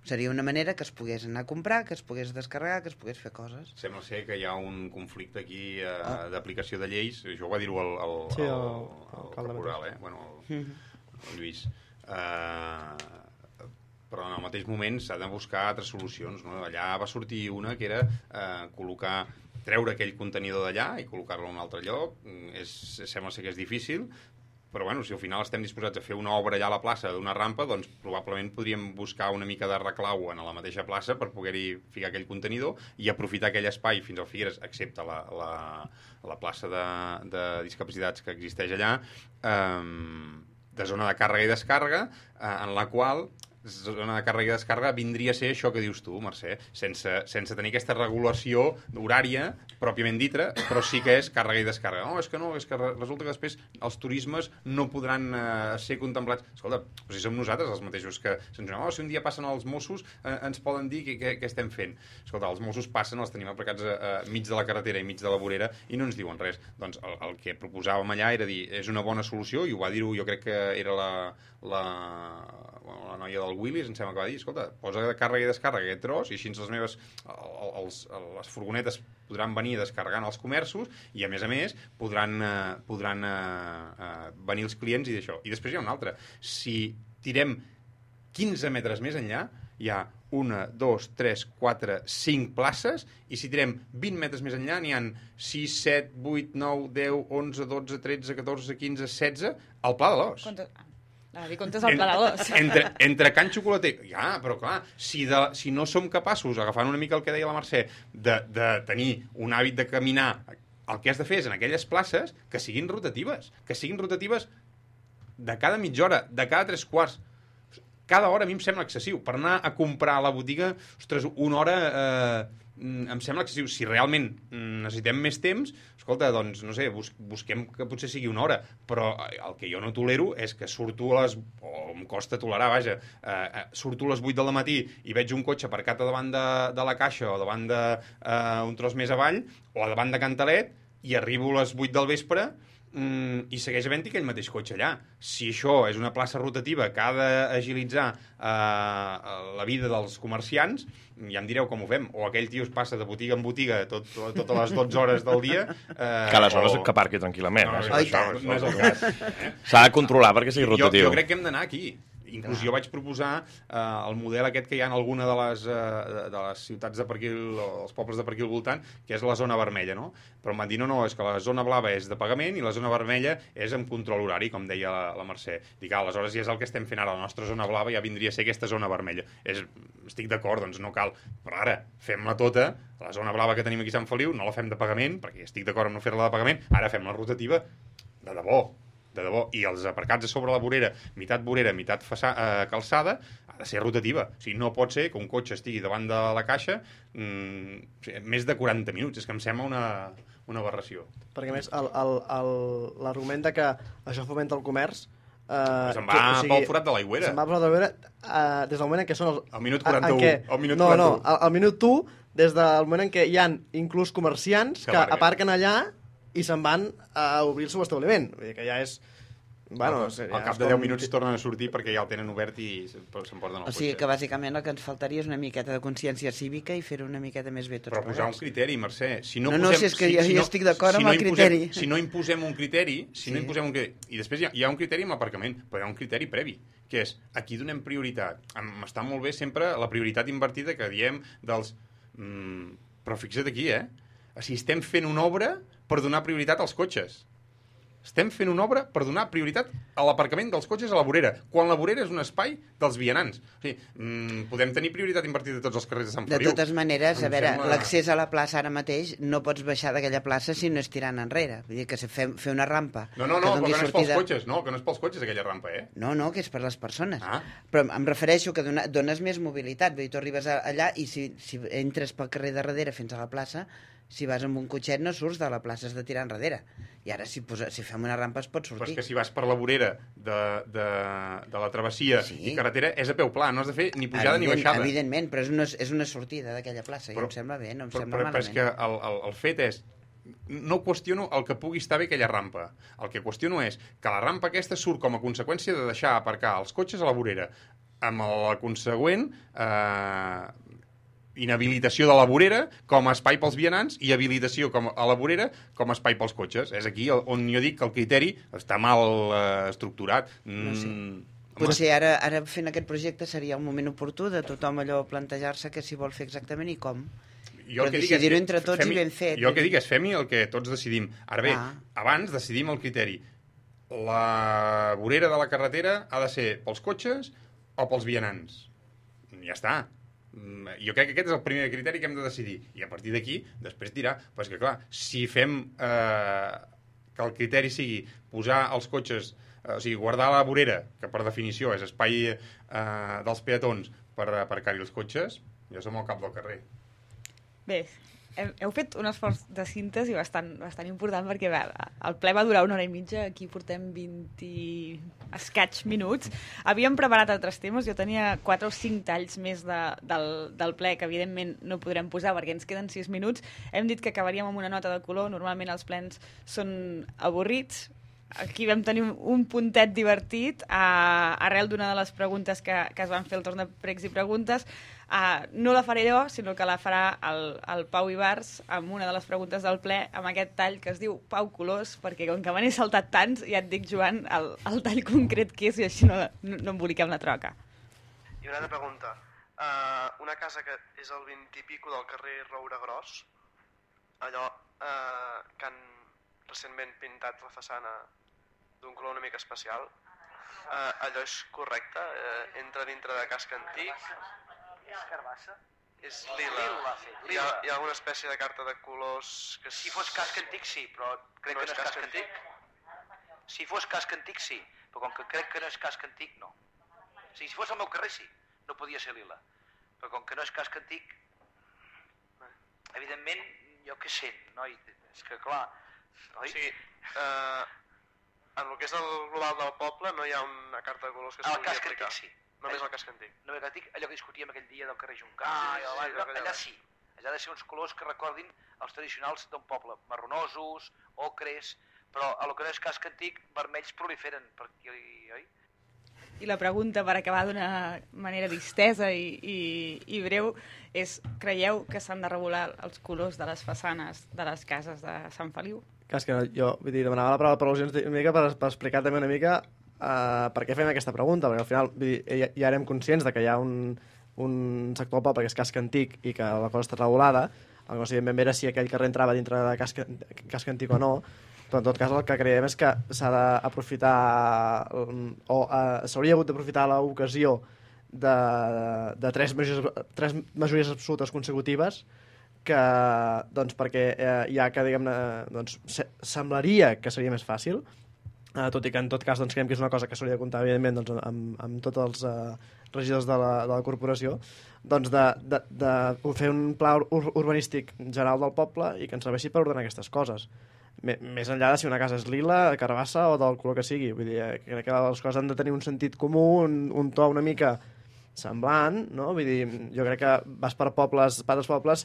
Seria una manera que es pogués anar a comprar, que es pogués descarregar, que es pogués fer coses. Sembla ser que hi ha un conflicte aquí eh, ah. d'aplicació de lleis. Això ho va dir-ho el, el, sí, el, el, el, el caporal, eh? Bueno, el, el Lluís. Uh, però en el mateix moment s'ha de buscar altres solucions, no? Allà va sortir una que era uh, col·locar, treure aquell contenidor d'allà i col·locar-lo en un altre lloc. És, sembla ser que és difícil, però bueno, si al final estem disposats a fer una obra allà a la plaça d'una rampa, doncs probablement podríem buscar una mica de reclau en la mateixa plaça per poder-hi ficar aquell contenidor i aprofitar aquell espai fins al Figueres, excepte la, la, la plaça de, de discapacitats que existeix allà, eh, de zona de càrrega i descàrrega, eh, en la qual zona de càrrega i descàrrega vindria a ser això que dius tu, Mercè, sense, sense tenir aquesta regulació horària pròpiament dita, però sí que és càrrega i descàrrega. No, és que no, és que resulta que després els turismes no podran eh, ser contemplats. Escolta, però si som nosaltres els mateixos que se'ns diuen, oh, si un dia passen els Mossos eh, ens poden dir què, què, què estem fent. Escolta, els Mossos passen, els tenim aparcats a, a mig de la carretera i mig de la vorera i no ens diuen res. Doncs el, el que proposàvem allà era dir, és una bona solució, i ho va dir-ho, jo crec que era la, la, la noia del Willis, em sembla que va dir, escolta, posa de càrrega i descàrrega aquest tros i així les meves, els, les furgonetes podran venir descarregant als comerços i, a més a més, podran, eh, podran eh, eh, venir els clients i d'això. I després hi ha una altra. Si tirem quinze metres més enllà, hi ha una, dos, tres, quatre, cinc places, i si tirem vint metres més enllà n'hi ha sis, set, vuit, nou, deu, onze, dotze, tretze, catorze, quinze, setze, al Pla de l'Os. Quantes... A dir, comptes el Pla de l'Os. Entre, entre Can Xocolater... Ja, però clar, si, de, si no som capaços, agafant una mica el que deia la Mercè, de, de tenir un hàbit de caminar, el que has de fer és en aquelles places que siguin rotatives, que siguin rotatives de cada mitja hora, de cada tres quarts. Cada hora a mi em sembla excessiu. Per anar a comprar a la botiga, ostres, una hora eh, em sembla excessiu. Si realment necessitem més temps, escolta, doncs, no sé, bus busquem que potser sigui una hora, però el que jo no tolero és que surto a les... o em costa tolerar, vaja, eh, surto a les vuit del matí i veig un cotxe aparcat davant de, de la caixa o davant d'un eh, tros més avall o davant de Cantalet i arribo a les vuit del vespre Mm, i segueix havent-hi aquell mateix cotxe allà. Si això és una plaça rotativa que ha d'agilitzar eh, la vida dels comerciants, ja em direu com ho fem. O aquell tio es passa de botiga en botiga tot, totes les dotze hores del dia. Eh, que aleshores o... que aparqui tranquil·lament. No, eh? no, això, no és el cas. Eh? S'ha de controlar perquè sigui rotatiu. Jo, jo crec que hem d'anar aquí. Inclús jo vaig proposar eh, el model aquest que hi ha en alguna de les, eh, de les ciutats de per aquí, els pobles de per aquí al voltant, que és la zona vermella, no? Però em van dir, no, no, és que la zona blava és de pagament i la zona vermella és amb control horari, com deia la, la Mercè. Dic, ah, aleshores ja és el que estem fent ara, la nostra zona blava ja vindria a ser aquesta zona vermella. És, estic d'acord, doncs no cal, però ara fem-la tota, la zona blava que tenim aquí a Sant Feliu, no la fem de pagament, perquè estic d'acord amb no fer-la de pagament, ara fem la rotativa de debò. de debò, i els aparcats a sobre la vorera, meitat vorera, meitat faça, eh, calçada, ha de ser rotativa. O sigui, no pot ser que un cotxe estigui davant de la caixa mmm, o sigui, més de quaranta minuts. És que em sembla una, una aberració. Perquè, a més, l'argument de que això fomenta el comerç... Uh, se'n va que, o sigui, pel forat de l'aigüera. Se'n va pel forat de l'aigüera uh, des del moment en què són els... Al minut quaranta-u. Què, al minut no, quaranta-u. no, al, al minut u, des del moment en què hi han inclús comerciants que, que aparquen allà i se'n van a obrir el seu establiment. Vull dir que ja és... Bueno, al, al cap de deu minuts tornen a sortir perquè ja el tenen obert i se'n porten al cotxe. O sigui que bàsicament el que ens faltaria és una miqueta de consciència cívica i fer-ho una miqueta més bé tots Però posar un criteri, Mercè. Si no, no, posem, no, si és que si, jo, si jo no, estic d'acord si amb no el imposem, criteri. Si no imposem un criteri, si sí. no imposem un criteri, i després hi ha, hi ha un criteri amb l'aparcament, però hi ha un criteri previ, que és, aquí donem prioritat. Està molt bé sempre la prioritat invertida que diem dels... Mm, però fixa't aquí, eh? O sigui, estem fent una obra per donar prioritat als cotxes. Estem fent una obra per donar prioritat a l'aparcament dels cotxes a la vorera, quan la vorera és un espai dels vianants. O sigui, mmm, podem tenir prioritat invertida a tots els carrers de Sant Feliu. De totes maneres, em a veure, sembla... l'accés a la plaça ara mateix no pots baixar d'aquella plaça si no és tirant enrere. Vull dir que fer, fer una rampa... No, no, no, que però que no és sortida... pels cotxes, no, que no és pels cotxes aquella rampa, eh? No, no, que és per les persones. Ah. Però em refereixo que dona, dones més mobilitat. Vull dir, tu arribes allà i si, si entres pel carrer de darrere fins a la plaça, si vas amb un cotxet no surts de la plaça, has de tirar enrere. I ara si, posa, si fem una rampa es pot sortir. Però és que si vas per la vorera de, de, de la travessia sí. i carretera és a peu pla, no has de fer ni pujada Evident, ni baixada. Evidentment, però és una, és una sortida d'aquella plaça, però, i em sembla bé, no em però, sembla però, malament. Però és que el, el, el fet és... No qüestiono el que pugui estar bé aquella rampa. El que qüestiono és que la rampa aquesta surt com a conseqüència de deixar aparcar els cotxes a la vorera, amb la consegüent... Eh, inhabilitació de la vorera com a espai pels vianants i habilitació com a la vorera com a espai pels cotxes. És aquí on jo dic que el criteri està mal eh, estructurat. No sé. Mm, Potser ara, ara fent aquest projecte seria un moment oportú de tothom allò plantejar-se que s'hi vol fer exactament i com. Jo Però decidir-ho entre tots i ben fet. Jo el que dic és fem-hi el que tots decidim. Ara bé, ah. abans decidim el criteri. La vorera de la carretera ha de ser pels cotxes o pels vianants. Ja està. Jo crec que aquest és el primer criteri que hem de decidir. I a partir d'aquí, després dirà... Però és que, clar, si fem eh, que el criteri sigui posar els cotxes... Eh, o sigui, guardar la vorera, que per definició és espai eh, dels peatons per aparcar-hi els cotxes, jo som al cap del carrer. Bé, heu fet un esforç de síntesi bastant, bastant important perquè bé, el ple va durar una hora i mitja, aquí portem vint escaig minuts. Havíem preparat altres temes, jo tenia quatre o cinc talls més de, del, del ple que evidentment no podrem posar perquè ens queden sis minuts. Hem dit que acabaríem amb una nota de color, normalment els plens són avorrits. Aquí vam tenir un puntet divertit a, arrel d'una de les preguntes que, que es van fer al torn de pregs i preguntes. Uh, no la faré jo, sinó que la farà el, el Pau Ibars amb una de les preguntes del ple, amb aquest tall que es diu Pau Colors, perquè com que me n'he saltat tants, ja et dic, Joan, el, el tall concret que és i així no, no, no emboliquem la troca. I una altra pregunta. Uh, una casa que és el vint i pico del carrer Roure Gros, allò uh, que han recentment pintat la façana d'un color una mica especial, uh, allò és correcte? Uh, entra dintre de casc antic? És carbassa? És lila. Lila, sí, Hi, ha, hi ha alguna espècie de carta de colors que... Si fos casc antic, sí, però crec no que no és casc casc antic. antic. Si fos casc antic, sí, però com que crec que no és casc antic, no. O sigui, si fos al meu carrer, sí, no podia ser lila. Però com que no és casc antic, evidentment, jo què sé, noi, és que clar... Oi? O sigui, uh, en el que és el global del poble no hi ha una carta de colors que es El pugui casc aplicar. antic, sí. Només el casc antic. No ve que dic allò que discutíem aquell dia del carrer Juncà, Ah, i sí, allà, sí, allà, allà. allà sí. Allà ha de ser uns colors que recordin els tradicionals d'un poble, marronosos, ocres, però a lo que no és casc antic, vermells proliferen per aquí, oi? I la pregunta, per acabar d'una manera distesa i, i, i breu, és, creieu que s'han de regular els colors de les façanes de les cases de Sant Feliu? Clar, és que jo vull dir, demanava la paraula per al·lusions una mica per, per explicar també una mica Uh, per què fem aquesta pregunta, perquè al final vull dir, ja, ja érem conscients de que hi ha un, un sector del poble que és casc antic i que la cosa està regulada, el que no sabíem ben bé era si aquell carrer entrava dintre de casc, casc antic o no, però en tot cas el que creiem és que s'ha d'aprofitar o uh, s'hauria hagut d'aprofitar l'ocasió de, de tres, majories, tres majories absolutes consecutives que, doncs, perquè eh, ja que diguem-ne doncs, se, semblaria que seria més fàcil Uh, tot i que en tot cas doncs, creiem que és una cosa que s'hauria de comptar evidentment doncs, amb, amb tots els uh, regidors de la, de la corporació, doncs de, de, de fer un pla ur urbanístic general del poble i que ens serveixi per ordenar aquestes coses. M més enllà de si una casa és lila, carbassa o del color que sigui. Vull dir, crec que les coses han de tenir un sentit comú, un, un to una mica semblant, no? Vull dir, jo crec que vas per pobles, per als pobles,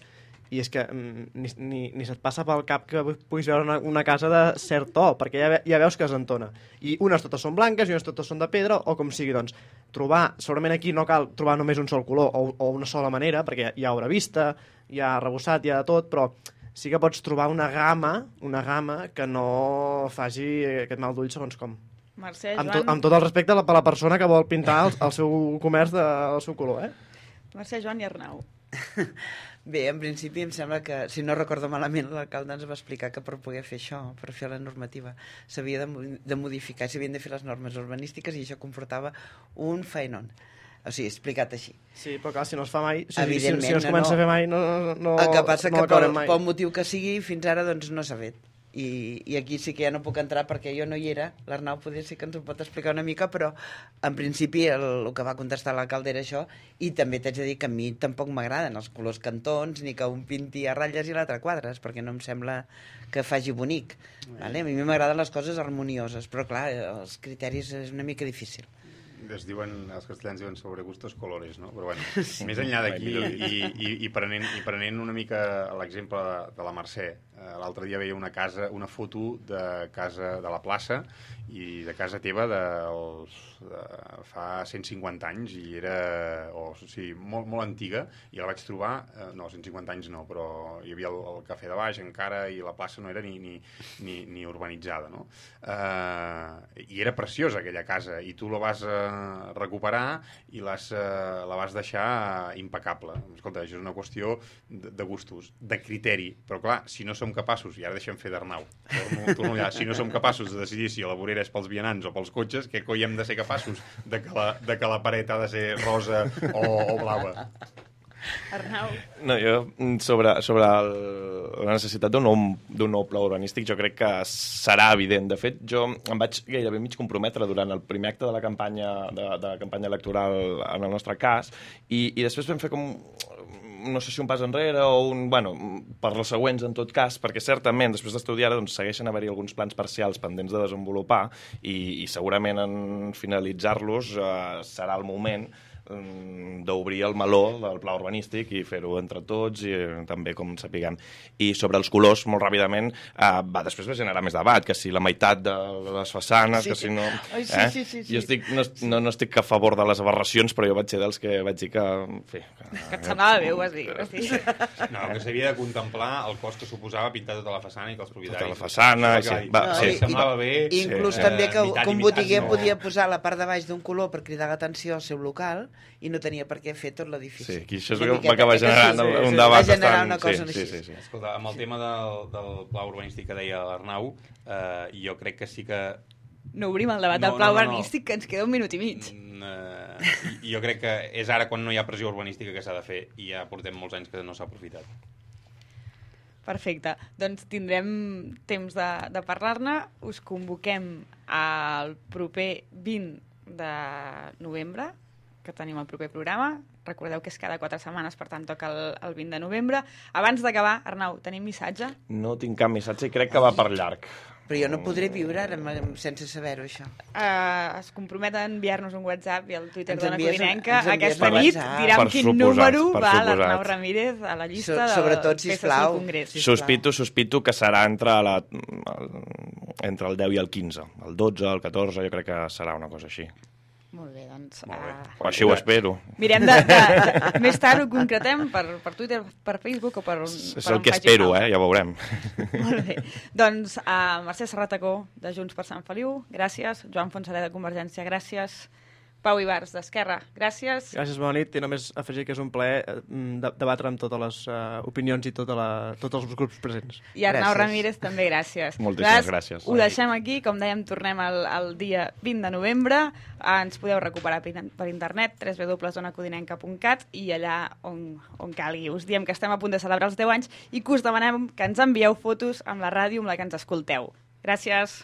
i és que ni, ni, ni se't passa pel cap que puguis veure una, una casa de cert to, perquè ja, ve, ja veus que es entona. I unes totes són blanques i unes totes són de pedra, o com sigui, doncs, trobar, segurament aquí no cal trobar només un sol color o, o una sola manera, perquè hi ha obra vista, hi ha arrebossat, hi ha de tot, però sí que pots trobar una gamma, una gamma que no faci aquest mal d'ull segons com. Mercè, amb, Joan... to, amb tot el respecte a la, a la persona que vol pintar el, el seu comerç del seu color, eh? Mercè, Joan i Arnau. Bé, en principi em sembla que, si no recordo malament, l'alcalde ens va explicar que per poder fer això, per fer la normativa, s'havia de, de modificar, s'havien de fer les normes urbanístiques i això comportava un faenon. O sigui, explicat així. Sí, però clar, si no es fa mai, si, si, Evidentment, si no es comença no, a fer mai, no, no, no, el que passa no que pel, mai. pel motiu que sigui, fins ara doncs, no s'ha fet. I, I aquí sí que ja no puc entrar perquè jo no hi era. L'Arnau poder sí que ens ho pot explicar una mica, però en principi el, el que va contestar l'alcalde era això, i també t'haig de dir que a mi tampoc m'agraden els colors cantons, ni que un pinti a ratlles i l'altre a quadres, perquè no em sembla que faci bonic. Vale? A mi m'agraden les coses harmonioses, però clar, els criteris és una mica difícil. Es diuen, els castellans diuen sobre gustos colores, no? Però bueno, sí. Més enllà d'aquí i, i, i, prenent, i prenent una mica l'exemple de, de la Mercè, eh, l'altre dia veia una casa, una foto de casa de la plaça i de casa teva dels, de, fa cent cinquanta anys i era, o sigui, molt, molt antiga, i la vaig trobar, eh, no, cent cinquanta anys no, però hi havia el, el cafè de baix encara i la plaça no era ni, ni, ni, ni urbanitzada, no? Eh, I era preciosa aquella casa i tu la vas eh, recuperar i les, uh, la vas deixar impecable. Escolta, això és una qüestió de, de gustos, de criteri, però clar, si no som capaços, i ara deixem fer d'Arnau, torno, torno allà, si no som capaços de decidir si la vorera és pels vianants o pels cotxes, què coi hem de ser capaços de que la, de que la paret ha de ser rosa o, o blava? Arnau. No, jo, sobre, sobre el, la necessitat d'un nou, d'un nou pla urbanístic, jo crec que serà evident. De fet, jo em vaig gairebé mig comprometre durant el primer acte de la campanya, de, de la campanya electoral en el nostre cas, i, i després vam fer com, no sé si un pas enrere o un... Bueno, per les següents, en tot cas, perquè certament, després d'estudiar, doncs, segueixen haver-hi alguns plans parcials pendents de desenvolupar i, i segurament en finalitzar-los eh, serà el moment d'obrir el meló del pla urbanístic i fer-ho entre tots i també com sapiguem. I sobre els colors, molt ràpidament, eh, va, després va generar més debat, que si la meitat de les façanes, sí. que si no... Ai, sí, eh? sí, sí, sí. Jo estic, no, no, no estic a favor de les aberracions, però jo vaig ser dels que vaig dir que... En fi, que, que et semblava bé, ho vas dir. Vas dir. No, que s'havia de contemplar el cost que suposava pintar tota la façana i que els propietaris... Tota la façana, sí. Va, no, sí. I, semblava bé... I, inclús sí. també que, Eh, que un mitat, botiguer no. podia posar la part de baix d'un color per cridar l'atenció al seu local i no tenia per què fer tot l'edifici. Sí, aquí això és Una el que va miqueta, acabar eh, que generant sí, un sí, debat va generar bastant... una cosa sí, així. sí, sí, sí. Escolta, amb el tema del, del pla urbanístic que deia l'Arnau, eh, jo crec que sí que... No obrim el debat No, del pla no, no, no. urbanístic, que ens queda un minut i mig. Mm, eh, i- jo crec que és ara quan no hi ha pressió urbanística que s'ha de fer i ja portem molts anys que no s'ha aprofitat. Perfecte. Doncs tindrem temps de, de parlar-ne. Us convoquem al proper vint de novembre, que tenim el proper programa. Recordeu que és cada quatre setmanes, per tant toca el, el vint de novembre. Abans d'acabar, Arnau, tenim missatge? No tinc cap missatge i crec que va per llarg. Però jo no podré viure ara amb- sense saber-ho, això. Uh, es compromet a enviar-nos un WhatsApp i al Twitter Ens d'Ona envies un- Codinenca ens envies aquesta un nit. WhatsApp. Dirà Per amb quin suposat, número per va suposat. l'Arnau Ramírez a la llista So- de sobretot, P S C sisplau. Congrés. Sisplau. Sospito, sospito que serà entre, la, el, entre el deu i el quinze. El dotze, el catorze, jo crec que serà una cosa així. Molt bé, doncs... Molt bé. Uh, O així ho espero. mirem de, de, de... Més tard ho concretem per, per Twitter, per Facebook o per on, És per el on que faci espero, falta. eh? Ja veurem. Molt bé. Doncs uh, Mercè Serratacó, de Junts per Sant Feliu, gràcies. Joan Fonsaler, de Convergència, gràcies. Pau Ibars, d'Esquerra, gràcies. Gràcies, bona nit. I només afegir que és un plaer eh, de, debatre amb totes les uh, opinions i tota la, tots els grups presents. I Arnau Gràcies. Ramírez, també gràcies. Moltíssimes gràcies. Ho deixem aquí, com dèiem, tornem el, el dia vint de novembre. Ah, ens podeu recuperar per, per internet, w w w punt zona codinenca punt cat, i allà on, on calgui. Us diem que estem a punt de celebrar els deu anys i que us demanem que ens envieu fotos amb la ràdio amb la que ens escolteu. Gràcies.